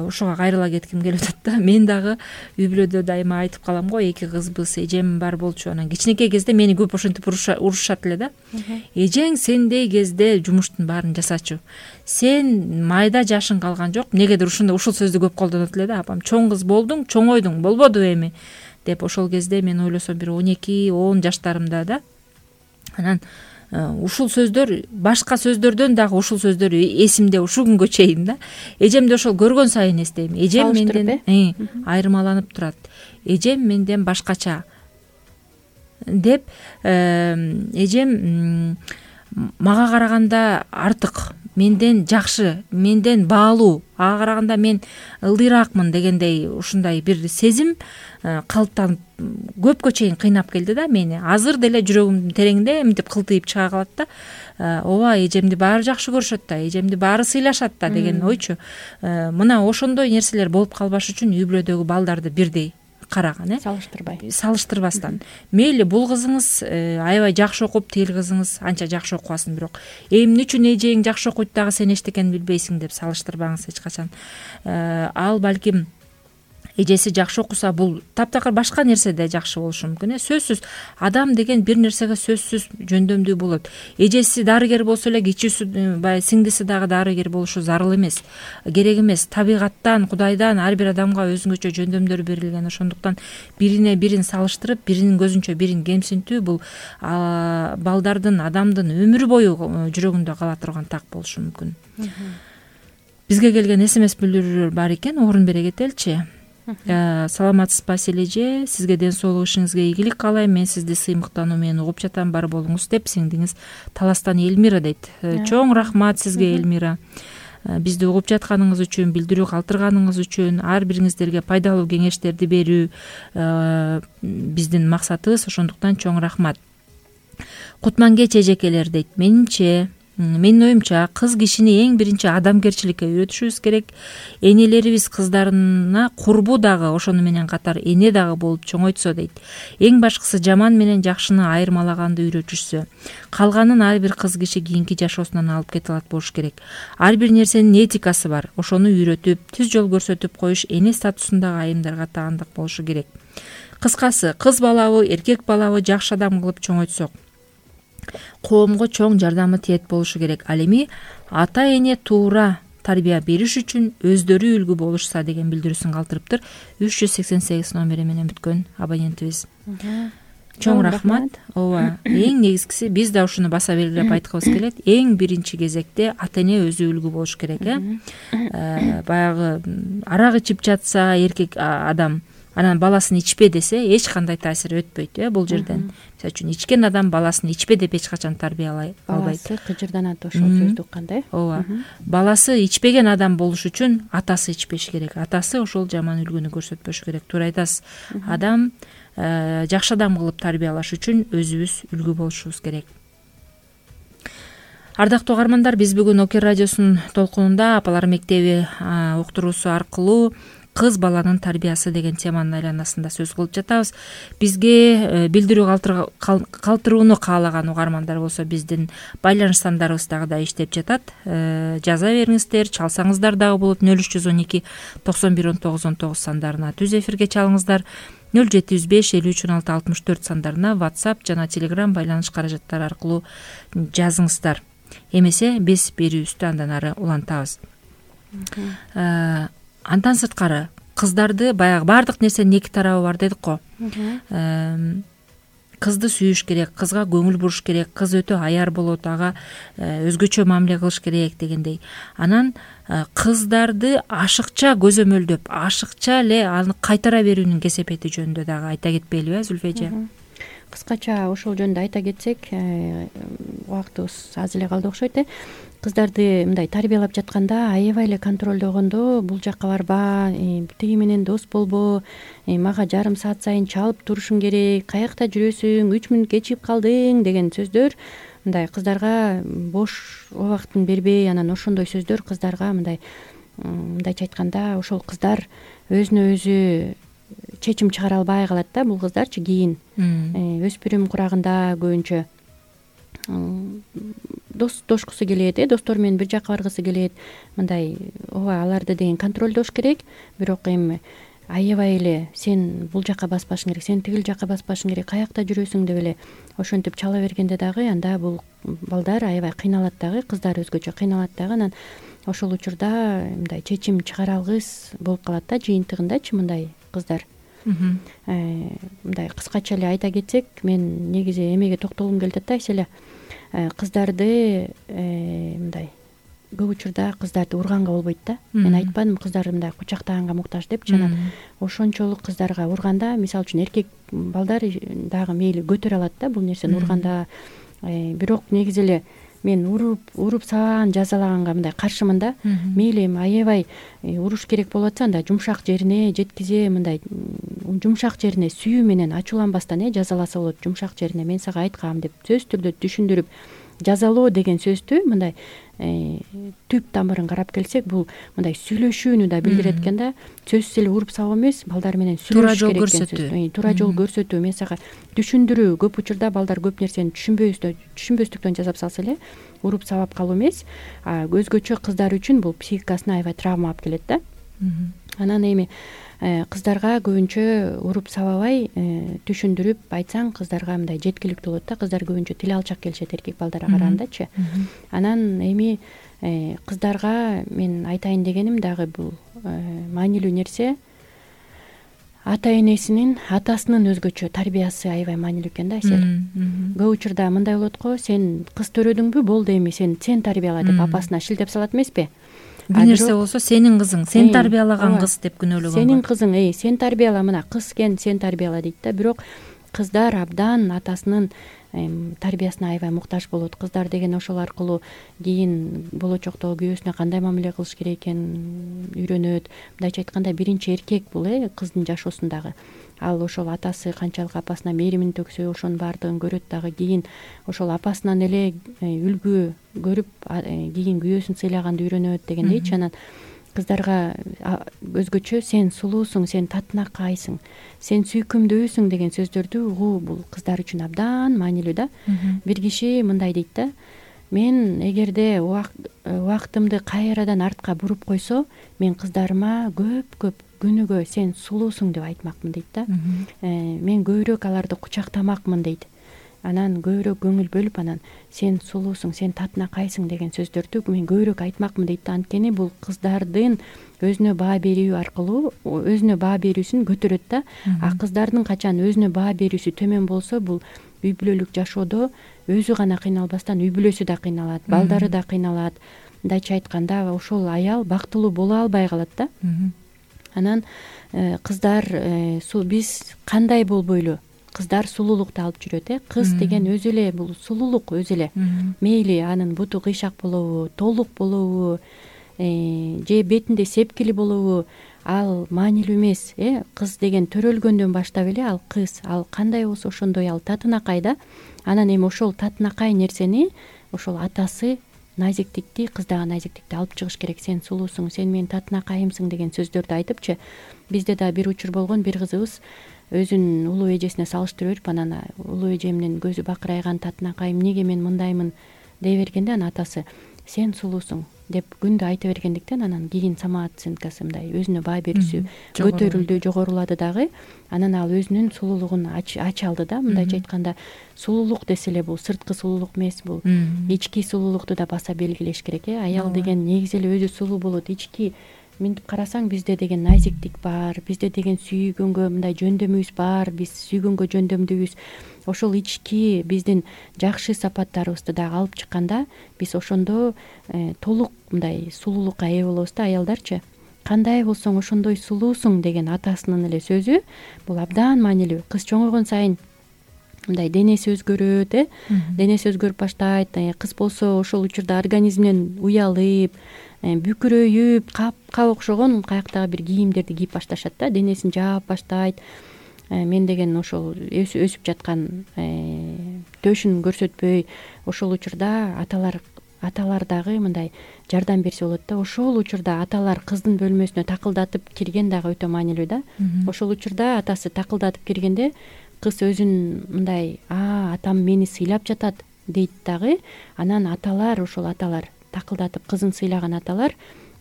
Ушуга кайрыла кетким келип атат да. Мен дагы үй бүлөдө дайыма айтып калам го, 2 кызбыз, эжем бар болчу. Анан кичинекей кезде мени көп ошентип урушат эле да. Эжең сендей кезде жумуштун баарын жасачу. Сен майда жашың калган жок. Негедир ушул сөздү көп колдонот эле да. Апам чоң кыз болдуң, чоңойдуң, болбоду эми деп. Ошол кезде мен ойлосом бир 12-10 жаштарымда да. Анан ушул сөздөр, башка сөздөрдөн дагы ушул сөздөр эсимде ушул күнгө чейин да. Эжемди ошол көргөн сайын эстейм. Эжем менден айырмаланып турат. Эжем менден башкача деп, эжем мага караганда артык, менден жакшы, менден баалуу, ага караганда мен ылдыйраакмын дегендей ушундай бир сезим калыптанып көпкө чейин кыйнап келди да мени. Азыр деле жүрөгүмдүн тереңинде мынтип кылтыйып чыга калат да. Ооба, эжемди баары жакшы көрүшөт да, эжемди баары сыйлашат да деген ойчу. Мына ошондой нерселер болуп калбаш үчүн үй бүлөдөгү балдарды бирдей караган, салыштырбастан. Мейли бул кызыңыз аябай жакшы окуп, тил кызыңыз анча жакшы окубасын, бирок эмне үчүн эжең жакшы окуйт дагы сен эчтекени билбейсиң деп салыштырбаңыз эч качан. Ал балким эжеси жакшы окуса, бул таптакыр башка нерседе жакшы болушу мүмкүн. Сөзсүз адам деген бир нерсеге сөзсүз жөндөмдүү болот. Эжеси дарыгер болсо эле кичүүсү баягы сиңдиси дагы дарыгер болушу зарыл эмес, керек эмес. Табигаттан, Кудайдан ар бир адамга өзүнчө жөндөмдөр берилген. Ошондуктан бирине бирин салыштырып, биринин көзүнчө бирин кемсинтүү бул балдардын, адамдын өмүрү бою жүрөгүндө кала турган так болушу мүмкүн. Бизге келген СМС билдирүүлөр бар экен, орун бере кетеличи. Саламатсызбы Асель эже, сизге ден соолук, ишиңизге ийгилик каалайм. Мен сизди сыймыктануу менен угуп жатам, бар болуңуз деп сиңдиңиз Таластан Элмира дейт. Чоң рахмат сизге, Элмира. бизди угуп жатканыңыз үчүн, билдирүү калтырганыңыз үчүн, ар бириңиздерге пайдалуу кеңештерди берүү биздин максатыбыз. Ошондуктан чоң рахмат. Кутманкеч эжекелер дейт, менин оюмча кыз кишини эң биринчи адамгерчиликке үйрөтүшүбүз керек. Энелерибиз кыздарына курбу дагы, ошону менен катар эне дагы болуп чоңойтсо дейт. Эң башкысы жаман менен жакшыны айырмалаганды үйрөтүшсө. Калганын ар бир кыз киши кийинки жашоосунан алып кете алат болуш керек. Ар бир нерсенин этикасы бар. Ошону үйрөтүп, түз жол көрсөтүп коюш эне статусундагы айымдарга таандык болушу керек. Кыскасы, кыз балабы, эркек балабы жакшы адам кылып чоңойтсок, коомго чоң жардамы тиет болушу керек. Ал эми ата эне туура тарбия бериш үчүн өздөрү үлгү болушса деген билдирүүсүн калтырыптыр. 388 номери менен бүткөн абонентибиз. Чоң рахмат. Ооба, эң негизгиси биз да ушуну баса белгилеп айткыбыз келет. Эң биринчи кезекте ата эне өзү үлгү болуш керек. Баягы арак ичип жатса эркек адам, анан баласын ичпе десе эч кандай таасир өтпөйт бул жерден. Мисалы үчүн ичкен адам баласын ичпе деп эч качан тарбиялай албайт. Баласы кыжырданат ошол сөздү укканда. Ооба. Баласы ичпеген адам болуш үчүн атасы ичпеш керек. Атасы ошол жаман үлгүнү көрсөтпөшү керек. Туура айтасыз. Адам жакшы адам кылып тарбиялаш үчүн өзүбүз үлгү болушубуз керек. Ардактуу угармандар, биз бүгүн Окер радиосунун толкунунда Апалар мектеби уктуруусу аркылуу кыз баланын тарбиясы деген теманын айланасында сөз кылып жатабыз. Бизге билдирүү калтырууну каалаган угармандар болсо биздин байланыш сандарыбыз дагы да иштеп жатат. Жаза бериңиздер, чалсаңыздар дагы болот. 0312 91 19 19 сандарына түз эфирге чалыңыздар. 0705 53 16 64 сандарына WhatsApp жана Telegram байланыш каражаттары аркылуу жазыңыздар. Эмесе биз берүүбүздү андан ары улантабыз. Андан сырткары кыздарды баягы баардык нерсенин эки тарабы бар дедик го. Кызды сүйүш керек, кызга көңүл буруш керек, кыз өтө аяр болот, ага өзгөчө мамиле кылыш керек дегендей. Анан кыздарды ашыкча көзөмөлдөп, ашыкча эле аны кайтара берүүнүн кесепети жөнүндө дагы айта кетпейлиби, Зүлфи эже? Кыскача ошол жөнүндө айта кетсек, убактыбыз аз эле калды окшойт. Кыздарды мындай тарбиялап жатканда аябай эле контролдогондо, бул жакка барба, тиги менен дос болбо, мага жарым саат сайын чалып турушуң керек, каякта жүрөсүң, 3 мүнөт кечигип калдың деген сөздөр мындай кыздарга бош убактын бербей, анан ошондой сөздөр кыздарга мындайча айтканда ошол кыздар өзүнө өзү чечим чыгара албай калат да. Бул кыздарчы кийин өспүрүм курагында көбүнчө достошкусу келет, достору менен бир жакка баргысы келет. Мындай ооба, аларды деген контролдош керек. Бирок эми аябай эле сен бул жакка баспашың керек, сен тигил жакка баспашың керек, каякта жүрөсүң деп эле ошентип чала бергенде дагы анда бул балдар аябай кыйналат дагы, кыздар өзгөчө кыйналат дагы. Анан ошол учурда мындай чечим чыгара алгыс болуп калат да, жыйынтыгындачы мындай кыздар. Мындай кыскача эле айта кетсек, мен негизи эмеге токтолгум келип атат да, эселе кыздарды мындай көп учурда кыздарды урганга болбойт да. Мен айтпадым кыздар мындай кучактаганга муктаж депчи. Анан ошончолук кыздарга урганда, мисалы үчүн эркек балдар дагы мейли көтөрө алат да бул нерсени урганда. Бирок негизи эле мен уруп сабаган, жазалаганга мындай каршымын да. Мейли эми аябай уруш керек болуп атса, анда жумшак жерине жеткизе, мындай жумшак жерине сүйүү менен ачууланбастан жазаласа болот. Жумшак жерине мен сага айткам деп сөзсүз түрдө түшүндүрүп, жазалоо деген сөздү мындай түп тамырын карап келсек, бул мындай сүйлөшүүнү да билдирет экен да. Сөзсүз эле уруп сабоо эмес, балдар менен сүйлөшүш керек экен сөз. Туура жол көрсөтүү, мен сага түшүндүрүү. Көп учурда балдар көп нерсени түшүнбөстүктөн жасап салса эле уруп сабап калуу эмес, өзгөчө кыздар үчүн бул психикасына аябай травма алып келет да. Анан эми кыздарга көбүнчө уруп сабабай түшүндүрүп айтсаң, кыздарга мындай жеткиликтүү болот да. Кыздар көбүнчө тил алчак келишет эркек балдарга карагандачы. Анан эми кыздарга мен айтайын дегеним дагы бул маанилүү нерсе, ата энесинин, атасынын өзгөчө тарбиясы аябай маанилүү экен да, эсел. Көп учурда мындай болот го, сен кыз төрөдүңбү, болду эми сен тарбияла деп апасына шилтеп салат эмеспи? Бир нерсе болсо сенин кызың, сен тарбиялаган кыз деп күнөөлөгөн. Сенин кызың, сен тарбияла, мына кыз экен, сен тарбияла дейт да. Бирок кыздар абдан атасынын тарбиясына аябай муктаж болот. Кыздар деген ошол аркылуу кийин болочокто күйөөсүнө кандай мамиле кылыш керек экенин үйрөнөт. Мындайча айтканда биринчи эркек бул кыздын жашоосундагы. Ал ошол атасы канчалык апасына мээримин төксө ошонун баардыгын көрөт дагы. Кийин ошол апасынан эле үлгү көрүп кийин күйөөсүн сыйлаганды үйрөнөт дегендейчи. Анан кыздарга өзгөчө сен сулуусуң, сен татынакайсың, сен сүйкүмдүүсүң деген сөздөрдү угуу бул кыздар үчүн абдан маанилүү да. Бир киши мындай дейт да: мен эгерде убактымды кайрадан артка буруп койсо, мен кыздарыма көп күнүгө сен сулуусуң деп айтмакмын дейт да. Мен көбүрөөк аларды кучактамакмын дейт. Анан көбүрөөк көңүл бөлүп, анан сен сулуусуң, сен татынакайсың деген сөздөрдү мен көбүрөөк айтмакмын дейт да. Анткени бул кыздардын өзүнө баа берүү аркылуу өзүнө баа берүүсүн көтөрөт да. А кыздардын качан өзүнө баа берүүсү төмөн болсо, бул үй бүлөлүк жашоодо өзү гана кыйналбастан үй бүлөсү да кыйналат, балдары да кыйналат. Мындайча айтканда ошол аял бактылуу боло албай калат да. Анан кыздар биз кандай болбойлу? Кыздар сулуулукту алып жүрөт. Кыз деген өзү эле бул сулуулук өзү эле. Мейли анын буту кыйшак болобу, толук болобу, же бетинде сепкили болобу, ал маанилүү эмес. Кыз деген төрөлгөндөн баштап эле ал кыз, ал кандай болсо ошондой ал татынакай да. Анан эми ошол татынакай нерсени ошол атасы назиктикти, кыздагы назиктикти алып чыгыш керек. Сен сулуусуң, сен менин татынакайымсың деген сөздөрдү айтыпчы. Бизде да бир учур болгон, бир кызыбыз өзүн улуу эжесине салыштыра берип, анан улуу эжемдин көзү бакырайган татынакайым, эмнеге мен мындаймын дей бергенде, анан атасы сен сулуусуң деп күндү айта бергендиктен анан кийин самооценкасы мындай өзүнө баа берүүсү көтөрүлдү, жогорулады дагы. Анан ал өзүнүн сулуулугун ача алды да. Мындайча айтканда сулуулук десе эле бул сырткы сулуулук эмес, бул ички сулуулукту да баса белгилеш керек. Аял деген негизи эле өзү сулуу болот. Ички мынтип карасаң бизде деген назиктик бар, бизде деген сүйгөнгө мындай жөндөмүбүз бар, биз сүйгөнгө жөндөмдүүбүз. Ошол ички биздин жакшы сапаттарыбызды дагы алып чыкканда биз ошондо толук мындай сулуулукка ээ болобуз да. Аялдарчы кандай болсоң ошондой сулуусуң деген атасынын эле сөзү бул абдан маанилүү. Кыз чоңойгон сайын мындай денеси өзгөрөт, денеси өзгөрүп баштайт. Кыз болсо ошол учурда организминен уялып, бүкүрөйүп, капка окшогон каяктагы бир кийимдерди кийип башташат да. Денесин жаап баштайт. Мен деген ошол өсүп жаткан төшүн көрсөтпөй, ошол учурда аталар дагы мындай жардам берсе болот да. Ошол учурда аталар кыздын бөлмөсүнө такылдатып кирген дагы өтө маанилүү да. Ошол учурда атасы такылдатып киргенде кыз өзүн мындай атам мени сыйлап жатат дейт дагы. Анан ошол аталар такылдатып кызын сыйлаган аталар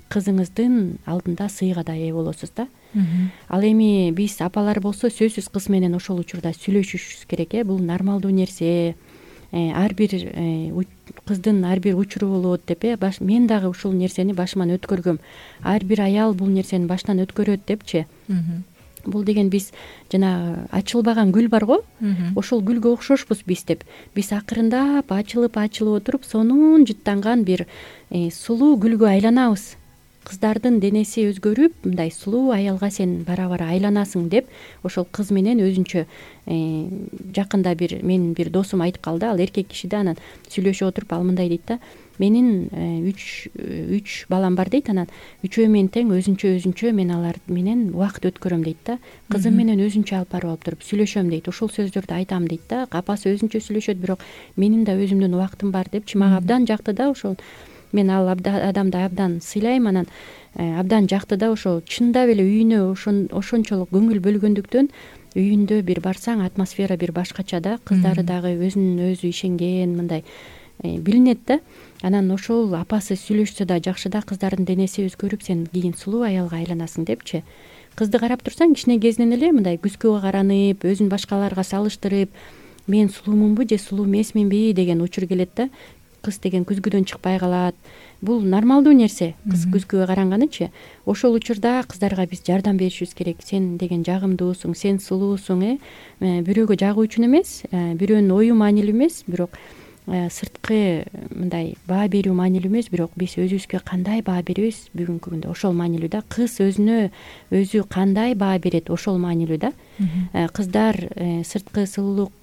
кызыңыздын алдында сыйга да ээ болосуз да. Ал эми биз апалар болсо сөзсүз кыз менен ошол учурда сүйлөшүшүбүз керек. Бул нормалдуу нерсе. Ар бир кыздын ар бир учуру болот деп мен дагы ушул нерсени башыман өткөргөм. Ар бир аял бул нерсени башынан өткөрөт депчи. Бул деген биз жана ачылбаган гүл барго, ошол гүлгө окшошпуз биз деп. Биз акырындап ачылып отуруп сонун жыттанган бир сулуу гүлгө айланабыз. Кыздардын денеси өзгөрүп, мындай сулуу аялга сен бара айланасың деп ошол кыз менен өзүнчө жакында менин бир досум айтып калды. Ал эркек киши да. Анан сүйлөшүп отуруп ал мындай дейт да: менин 3 балам бар дейт. Анан үчөө менен тең өзүнчө мен алар менен убакыт өткөрөм дейт да. Кызым менен өзүнчө алып барып туруп сүйлөшөм дейт. Ошол сөздөрдү айтам дейт да. Апасы өзүнчө сүйлөшөт, бирок менин да өзүмдүн убактым бар депчи. Мага абдан жакты да ошол. Мен ал адамды абдан сыйлайм. Анан абдан жакты да. Ошол чындап эле үйүнө ошончолук көңүл бөлгөндүктөн үйүндө бир барсаң атмосфера бир башкача да. Кыздары дагы өзүнүн өзү ишенген мындай билинет да. Анан ошол апасы сүйлөшсө да жакшы да. Кыздардын денеси өзгөрүп, сен кийин сулуу аялга айланасың депчи. Кызды карап турсаң кичине кезинен эле мындай күзгүгө каранып, өзүн башкаларга салыштырып, мен сулуумунбу же сулуу эмесминби деген учур келет да. Кыз деген күзгүдөн чыкпай калат. Бул нормалдуу нерсе, кыз күзгүгө каранганычы. Ошол учурда кыздарга биз жардам беришибиз керек. Сен деген жагымдуусуң, сен сулуусуң. Бирөөгө жагуу үчүн эмес, бирөөнүн ою маанилүү эмес, бирок сырткы мындай баа берүү маанилүү эмес, бирок биз өзүбүзгө кандай баа беребиз бүгүнкү күндө ошол маанилүү да. Кыз өзүнө өзү кандай баа берет ошол маанилүү да. Кыздар сырткы сулуулук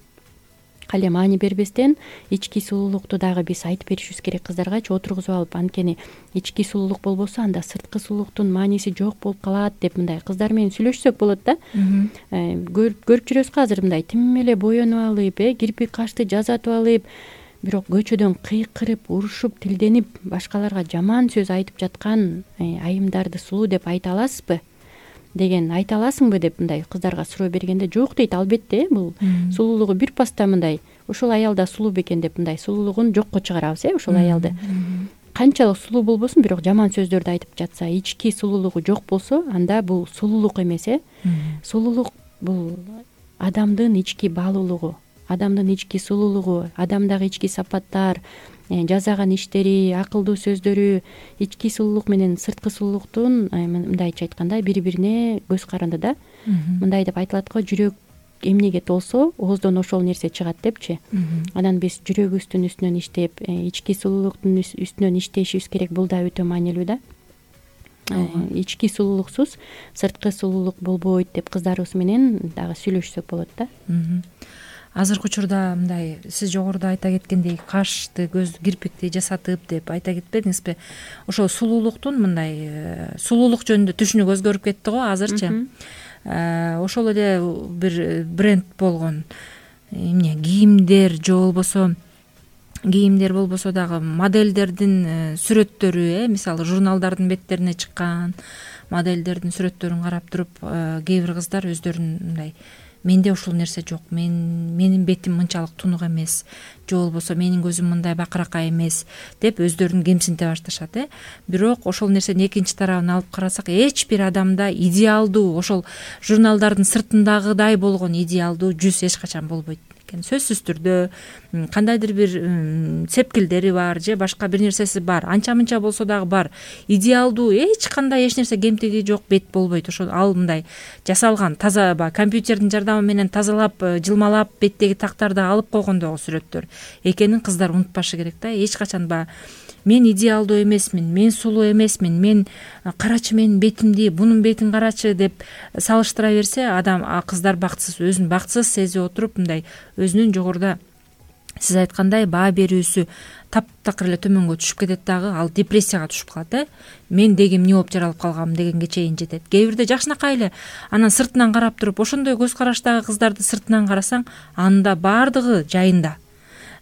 эле маани бербестен ички сулуулукту дагы биз айтып беришибиз керек кыздаргачы, отургузуп алып. Анткени ички сулуулук болбосо анда сырткы сулуулуктун мааниси жок болуп калат деп мындай кыздар менен сүйлөшсөк болот да. Көрүп жүрөбүз азыр мындай тим эле боенуп алып, кирпик кашты жазатып алып, бирок көчөдөн кыйкырып, урушуп, тилденип, башкаларга жаман сөз айтып жаткан айымдарды сулуу деп айта аласызбы деген, айта аласыңбы деп мындай кыздарга суроо бергенде жок дейт. Албетте, бул сулуулугу бир паста мындай ушул аял да сулуу бекен деп мындай сулуулугун жокко чыгарабыз, ушул аялды. Канчалык сулуу болбосун, бирок жаман сөздөрдү айтып жатса, ички сулуулугу жок болсо, анда бул сулуулук эмес. Сулуулук бул адамдын ички баалуулугу, адамдын ички сулуулугу, адамдагы ички сапаттар, жасаган иштери, акылдуу сөздөрү. Ички сулуулук менен сырткы сулуулуктун мындайча айтканда бири-бирине көз каранды да. Мындай деп айтылат го, жүрөк эмнеге толсо, ооздон ошол нерсе чыгат депчи. Анан биз жүрөгүбүздүн үстүнөн иштеп, ички сулуулуктун үстүнөн иштешибиз керек. Бул да өтө маанилүү да. Ички сулуулуксуз сырткы сулуулук болбойт деп кыздарыбыз менен дагы сүйлөшсөк болот да. Азыркы учурда мындай сиз жогоруда айта кеткендей кашты, көз, кирпикти жасатып деп айта кетпедиңизби? Ошол сулуулуктун мындай сулуулук жөнүндө түшүнүк өзгөрүп кетти го азырчы. Ошол эле бир бренд болгон эмне кийимдер же болбосо кийимдер болбосо дагы модельдердин сүрөттөрү, мисалы журналдардын беттерине чыккан модельдердин сүрөттөрүн карап туруп, кээ бир кыздар өздөрүн мындай менде ушул нерсе жок, менин бетим мынчалык тунук эмес, же болбосо менин көзүм мындай бакыракай эмес деп өздөрүн кемсинте башташат. Бирок ошол нерсенин экинчи тарабын алып карасак, эч бир адамда идеалдуу, ошол журналдардын сыртындагыдай болгон идеалдуу жүз эч качан болбойт экен. Сөзсүз түрдө кандайдыр бир сепкилдери бар же башка бир нерсеси бар, анча-мынча болсо дагы бар. Идеалдуу эч кандай эч нерсе кемтиги жок бет болбойт. Ошол ал мындай жасалган таза компьютердин жардамы менен тазалап, жылмалап беттеги тактарды алып койгондогу сүрөттөр экенин кыздар унутпашы керек да. Эч качан мен идеалдуу эмесмин, мен сулуу эмесмин, мен карачы менин бетимди, бунун бетин карачы деп салыштыра берсе, кыздар бактысыз, өзүн бактысыз сезип отуруп, мындай өзүнүн жогоруда сиз айткандай баа берүүсү таптакыр эле төмөнгө түшүп кетет дагы, ал депрессияга түшүп калат. Мен деген эмне болуп жаралып калгам дегенге чейин жетет. Кээ бирде жакшынакай эле анан сыртынан карап туруп, ошондой көз караштагы кыздарды сыртынан карасаң, анда баардыгы жайында.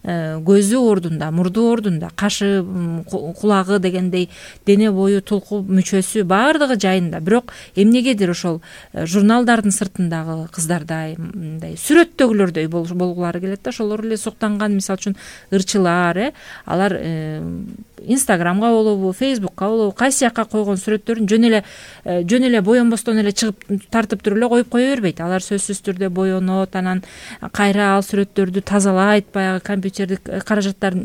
Көзү ордунда, мурду ордунда, кашы, кулагы дегендей дене бою, тулку мүчөсү баардыгы жайында. Бирок эмнегедир ошол журналдардын сыртындагы кыздардай, мындай сүрөттөгүлөрдөй болгулары келет да. Ошолор эле суктанган, мисалы үчүн ырчылар, алар Инстаграмга болобу, Фейсбукка болобу, кайсы жакка койгон сүрөттөрүн жөн эле боенбостон эле чыгып тартып туруп эле коюп кое бербейт. Алар сөзсүз түрдө боенот, анан кайра ал сүрөттөрдү тазалайт, баягы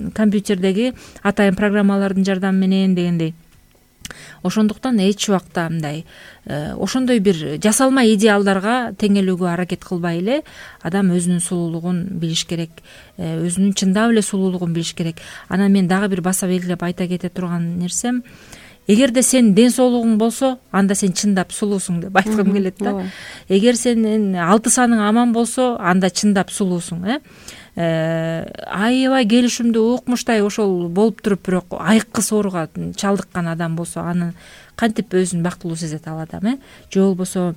компьютердеги атайын программалардын жардамы менен дегендей. Ошондуктан эч убакта мындай ошондой бир жасалма идеалдарга теңелүүгө аракет кылбай эле адам өзүнүн сулуулугун билиш керек, өзүнүн чындап эле сулуулугун билиш керек. Анан мен дагы бир баса белгилеп айта кете турган нерсем, эгерде сенин ден соолугуң болсо, анда сен чындап сулуусуң деп айткым келет да. Эгер сенин 6 саның аман болсо, анда чындап сулуусуң. Аябай келишимдүү укмуштай ошол болуп туруп, бирок айыккы сооруга чалдыккан адам болсо, аны кантип өзүн бактылуу сезет ал адам, же болбосо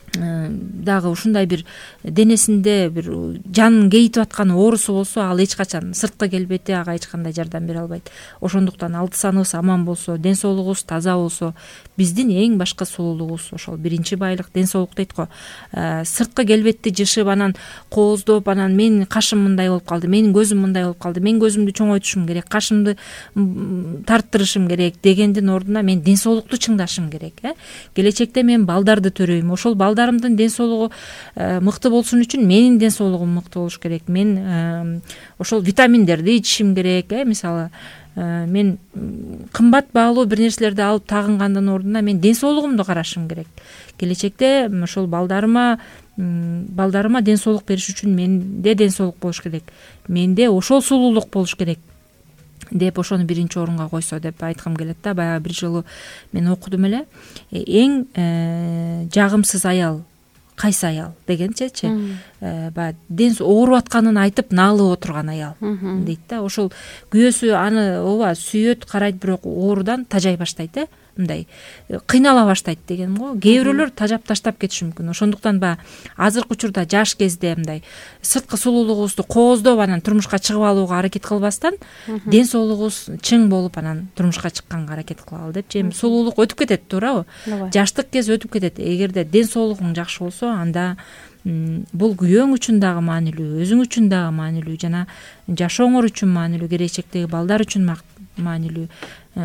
дагы ушундай бир денесинде бир жанын кейитип аткан оорусу болсо, ал эч качан сырткы келбети ага эч кандай жардам бере албайт. Ошондуктан 6 саныбыз аман болсо, ден соолугубуз таза болсо, биздин эң башкы сулуулугубуз ошол биринчи байлык ден соолук дейт го. Сырткы келбетти жышып, анан кооздоп, анан менин кашым мындай болуп калды, менин көзүм мындай болуп калды, мен көзүмдү чоңойтушум керек, кашымды тарттырышым керек дегендин ордуна мен ден соолукту чыңдашым керек. Келечекте мен балдарды төрөйм, ошол балдарымдын ден соолугу мыкты болсун үчүн менин ден соолугум мыкты болуш керек. Мен ошол витаминдерди ичишим керек. Мисалы, мен кымбат баалуу бир нерселерди алып тагынгандын ордуна мен ден соолугумду карашым керек. Келечекте ошол балдарыма ден соолук бериш үчүн менде ден соолук болуш керек. Менде ошол сулуулук болуш керек деп ошону биринчи орунга койсо деп айткым келет да. Баягы бир жолу мен окудум эле. Эң жагымсыз аял кайсы аял дегенчечи баягы ооруп атканын айтып наалып отурган аял дейт да. Ошол күйөөсү аны ооба сүйөт, карайт, бирок оорудан тажай баштайт, мындай кыйнала баштайт дегеним го. Кээ бирөөлөр тажап таштап кетиши мүмкүн. Ошондуктан баягы азыркы учурда жаш кезде мындай сырткы сулуулугубузду кооздоп анан турмушка чыгып алууга аракет кылбастан ден соолугубуз чың болуп анан турмушка чыкканга аракет кылалы депчи. Эми сулуулук өтүп кетет, туурабы? Жаштык кез өтүп кетет. Эгерде ден соолугуң жакшы болсо, анда бул күйөөң үчүн дагы маанилүү, өзүң үчүн дагы маанилүү, жана жашооңор үчүн маанилүү, келечектеги балдар үчүн маанилүү.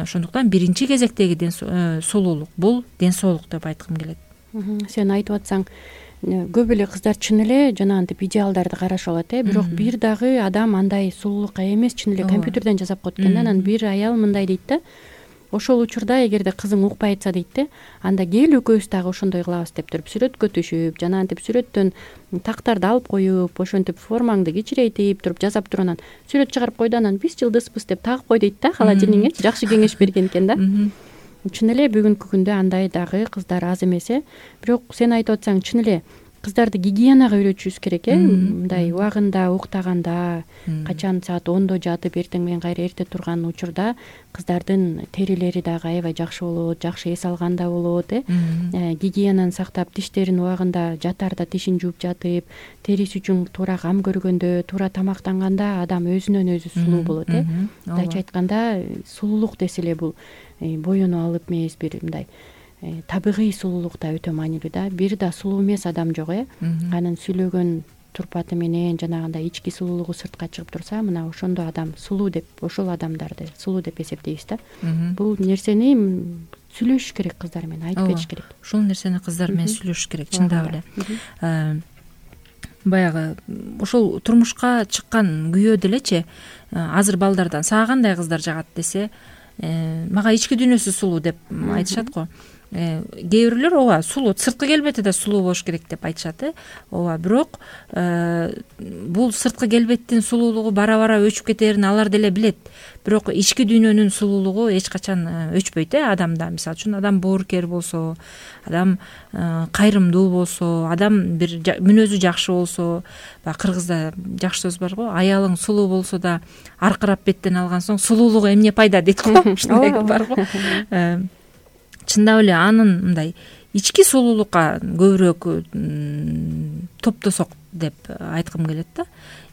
Ошондуктан биринчи кезектеги сулуулук бул ден соолук деп айткым келет. Сен айтып атсаң, көп эле кыздар чын эле жанагынтип идеалдарды карашып алат, бирок бир дагы адам андай сулуулукка эмес, чын эле компьютерден жасап коет экен да. Анан бир аял мындай дейт да: ошол учурда эгерде кызың укпай атса дейт да, анда кел экөөбүз дагы ошондой кылабыз деп туруп сүрөткө түшүп, жанагынтип сүрөттөн тактарды алып коюп, ошентип формаңды кичирейтип туруп жасап туруп анан сүрөт чыгарып койду, анан биз жылдызбыз деп тагып кой дейт да холодильникте. Жакшы кеңеш берген экен да. Чын эле бүгүнкү күндө андай дагы кыздар аз эмес, бирок сен айтып атсаң, чын эле кыздарды гигиенага үйрөтүшүбүз керек, мындай убагында уктаганда, качан саат 10до жатып эртең менен кайра эрте турган учурда кыздардын терилери дагы аябай жакшы болот, жакшы эс алганда болот, гигиенаны сактап, тиштерин убагында жатаарда тишин жууп жатып, териси үчүн туура кам көргөндө, туура тамактанганда адам өзүнөн өзү сулуу болот. Мындайча айтканда, сулуулук десе эле бул боюну алып эмес, бир мындай табигый сулуулук да өтө маанилүү да. Бир да сулуу эмес адам жок, анын сүйлөгөн турпаты менен жанагындай ички сулуулугу сыртка чыгып турса, мына ошондо адам сулуу деп, ошол адамдарды сулуу деп эсептейбиз да. Бул нерсени сүйлөшүш керек кыздар менен, айтып кетиш керек. Ушул нерсени кыздар менен сүйлөшүш керек, чындап эле. Баягы ошол турмушка чыккан күйөө делечи, азыр балдардан сага кандай кыздар жагат десе, мага ички дүйнөсү сулуу деп айтышат го. Кээ бирөөлөр ооба сулуу, сырткы келбети да сулуу болуш керек деп айтышат, ооба, бирок бул сырткы келбеттин сулуулугу бара-бара өчүп кетерин алар деле билет. Бирок ички дүйнөнүн сулуулугу эч качан өчпөйт адамда. Мисалы үчүн адам боорукер болсо, адам кайрымдуу болсо, адам бир мүнөзү жакшы болсо, баягы кыргызда жакшы сөз бар го, аялың сулуу болсо да аркырап беттен алган соң сулуулугу эмне пайда дейт го. Ушундай бар го. Чындап эле анын мындай ички сулуулукка көбүрөөк топтосок деп айткым келет да.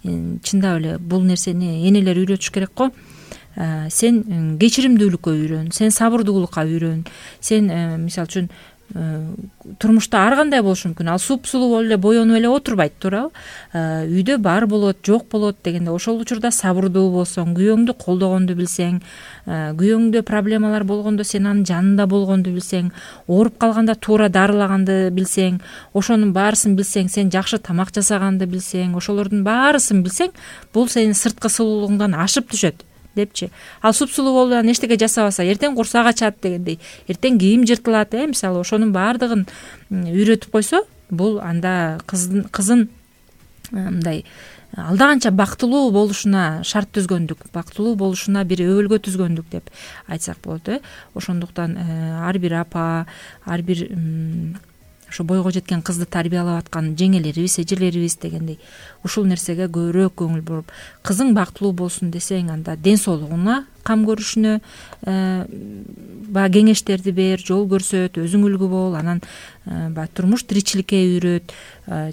Чындап эле бул нерсени энелер үйрөтүш керек го. Сен кечиримдүүлүккө үйрөн, сен сабырдуулукка үйрөн, сен мисалы үчүн турмушта ар кандай болушу мүмкүн. Ал суп-сулуу болуп эле боенуп эле отурбайт, туурабы? Үйдө бар болот, жок болот дегенде ошол учурда сабырдуу болсоң, күйөөңдү колдогонду билсең, күйөөңдө проблемалар болгондо сен анын жанында болгонду билсең, ооруп калганда туура дарылаганды билсең, ошонун баарысын билсең, сен жакшы тамак жасаганды билсең, ошолордун баарысын билсең, бул сенин сырткы сулуулугуңдан ашып түшөт депчи. Ал суп-сулуу болуп анан эчтеке жасабаса, эртең курсак ачат дегендей, эртең кийим жыртылат, мисалы ошонун баардыгын үйрөтүп койсо, бул анда кызын мындай алда канча бактылуу болушуна шарт түзгөндүк, бактылуу болушуна бир өбөлгө түзгөндүк деп айтсак болот. Ошондуктан ар бир апа, ар бир ошо бойго жеткен кызды тарбиялап аткан жеңелерибиз, эжелерибиз дегендей ушул нерсеге көбүрөөк көңүл буруп, кызың бактылуу болсун десең, анда ден соолугуна кам көрүшүнө баягы кеңештерди бер, жол көрсөт, өзүң үлгү бол, анан баягы турмуш тиричиликке үйрөт,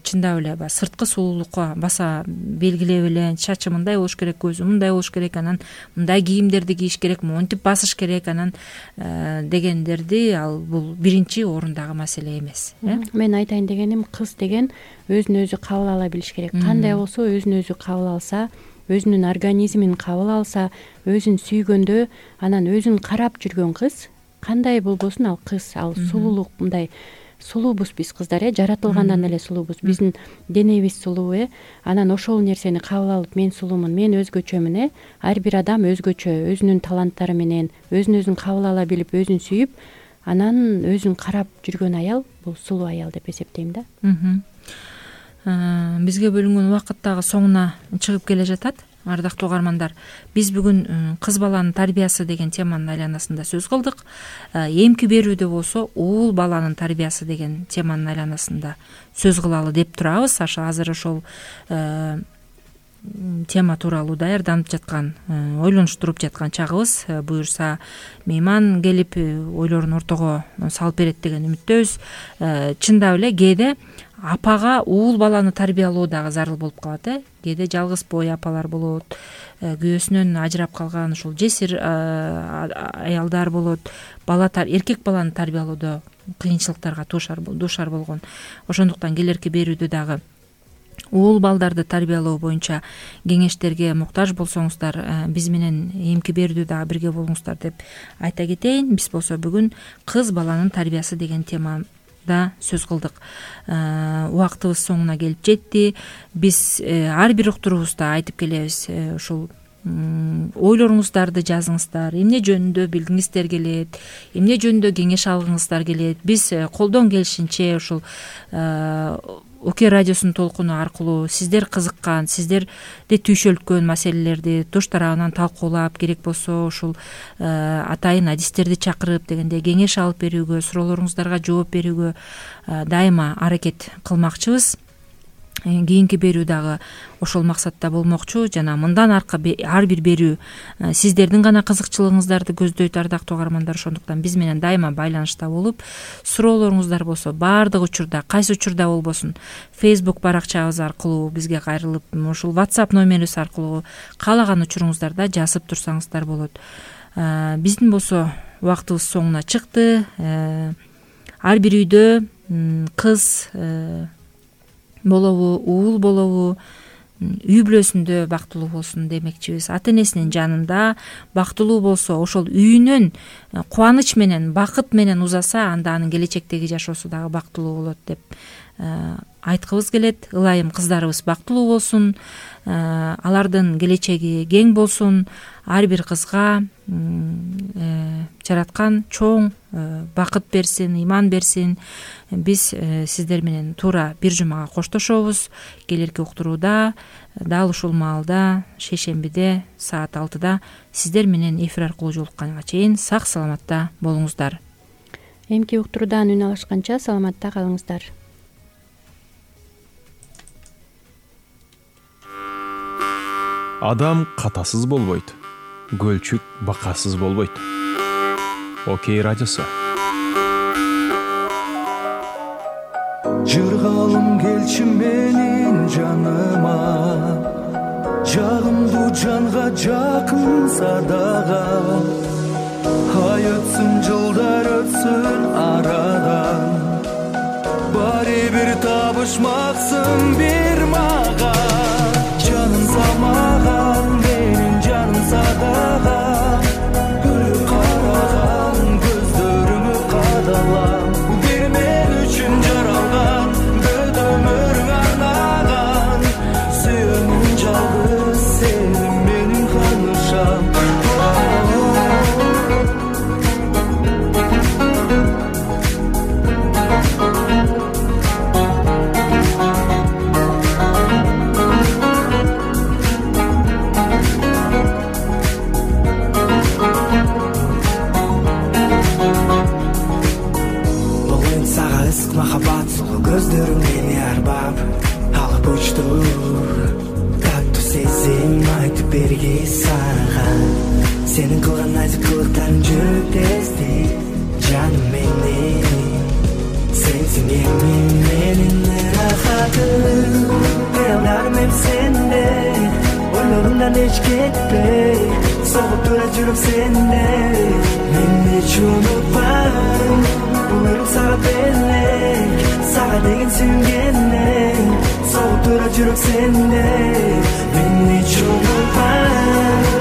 чындап эле баягы сырткы сулуулукка баса белгилеп эле, чачы мындай болуш керек, көзү мындай болуш керек, анан мындай кийимдерди кийиш керек, монтип басыш керек, анан дегендерди, ал бул биринчи орундагы маселе эмес. Мен айтайын дегеним, кыз деген өзүн өзү кабыл ала билиш керек. Кандай болсо өзүн өзү кабыл алса, өзүнүн организмин кабыл алса, өзүн сүйгөндө, анан өзүн карап жүргөн кыз, кандай болбосун ал кыз, ал сулуулук, мындай сулуубуз биз кыздар, жаратылгандан эле сулуубуз, биздин денебиз сулуу, анан ошол нерсени кабыл алып, мен сулуумун, мен өзгөчөмүн, ар бир адам өзгөчө, өзүнүн таланттары менен, өзүн өзүн кабыл ала билип, өзүн сүйүп, анан өзүн карап жүргөн аял, бул сулуу аял деп эсептейм да. Бизге бөлүнгөн убакыт дагы соңуна чыгып келе жатат. ардактуу угармандар, биз бүгүн кыз баланын тарбиясы деген теманын айланасында сөз кылдык. Эмки берүүдө болсо уул баланын тарбиясы деген теманын айланасында сөз кылалы деп турабыз. Азыр ошол тема тууралуу даярданып жаткан, ойлонуштуруп жаткан чагыбыз. Буюрса мейман келип ойлорун ортого салып берет деген үмүттөбүз. Чындап эле кээде апага уул баланы тарбиялоо дагы зарыл болуп калат. Кээде жалгыз бой апалар болот, күйөөсүнөн ажырап калган ушул жесир аялдар болот. Эркек баланы тарбиялоодо кыйынчылыктарга дуушар болгон. Ошондуктан келерки берүүдө дагы уул балдарды тарбиялоо боюнча кеңештерге муктаж болсоңуздар, биз менен эмки берүүдө дагы бирге болуңуздар деп айта кетейин. Биз болсо бүгүн кыз баланын тарбиясы деген темада сөз кылдык. Убактыбыз соңуна келип жетти. Биз ар бир уктуруубузда айтып келебиз, ушул ойлоруңуздарды жазыңыздар, эмне жөнүндө билгиңиздер келет, эмне жөнүндө кеңеш алгыңыздар келет. Биз колдон келишинче ушул ОК радиосунун толкуну аркылуу сиздер кызыккан, сиздерди түйшөлткөн маселелерди туш тарабынан талкуулап, керек болсо ушул атайын адистерди чакырып дегенде кеңеш алып берүүгө, суроолоруңуздарга жооп берүүгө дайыма аракет кылмакчыбыз. Кийинки берүү дагы ошол максатта болмокчу. Жана мындан аркы ар бир берүү сиздердин гана кызыкчылыгыңыздарды көздөйт, ардактуу угармандар. Ошондуктан биз менен дайыма байланышта болуп, суроолоруңуздар болсо баардык учурда, кайсы учурда болбосун, Facebook баракчабыз аркылуу бизге кайрылып, ушул WhatsApp номерибиз аркылуу каалаган учуруңуздарда жазып турсаңыздар болот. Биздин болсо убактыбыз соңуна чыкты. Ар бир үйдө кыз болобу, уул болобу, үй бүлөсүндө бактылуу болсун демекчибиз. Ата энесинин жанында бактылуу болсо, ошол үйүнөн кубаныч менен, бакыт менен узаса, анда анын келечектеги жашоосу дагы бактылуу болот деп айткыбыз келет. Ылайым кыздарыбыз бактылуу болсун, алардын келечеги кең болсун. Ар бир кызга жараткан чоң бакыт берсин, ыйман берсин. Биз сиздер менен туура бир жумага коштошобуз. Келерки уктурууда дал ушул маалда шейшембиде саат 6-да сиздер менен эфир аркылуу жолукканга чейин сак саламатта болуңуздар. Эмки уктуруудан үн алышканча саламатта калыңыздар. Адам катасыз болбойт, көлчүк бакасыз болбойт. ОК радиосу. Жыргалым келчи менин жаныма, жагымдуу жанга жакын садага. Ай өтсүн, жылдар өтсүн арадан, баары бир табышмаксың бир мага. Жаным самаган, менин жаным садага, күлүп караган көздөрүңө кадалам. Бир мен үчүн жаралган, бүт өмүрүң арнаган, сүйөмүн жалгыз сени менин канышам. Махаббат сулуу көздөрүң мени арбап алып учту. Таттуу сезим айтып берги сага, сенин кылган назикылыктарың жүрөктө эзди. Жаным менин, сенсиң эми менин рахатым. Кыялдарым эми сенде, ойлорумдан эч кетпей, согуп турат жүрөк сенде. Мени эч унутпайм, өмүрүм сага белек, сага деген сүйгенден. Согуп турат жүрөк сенде, мени эч унутпайм.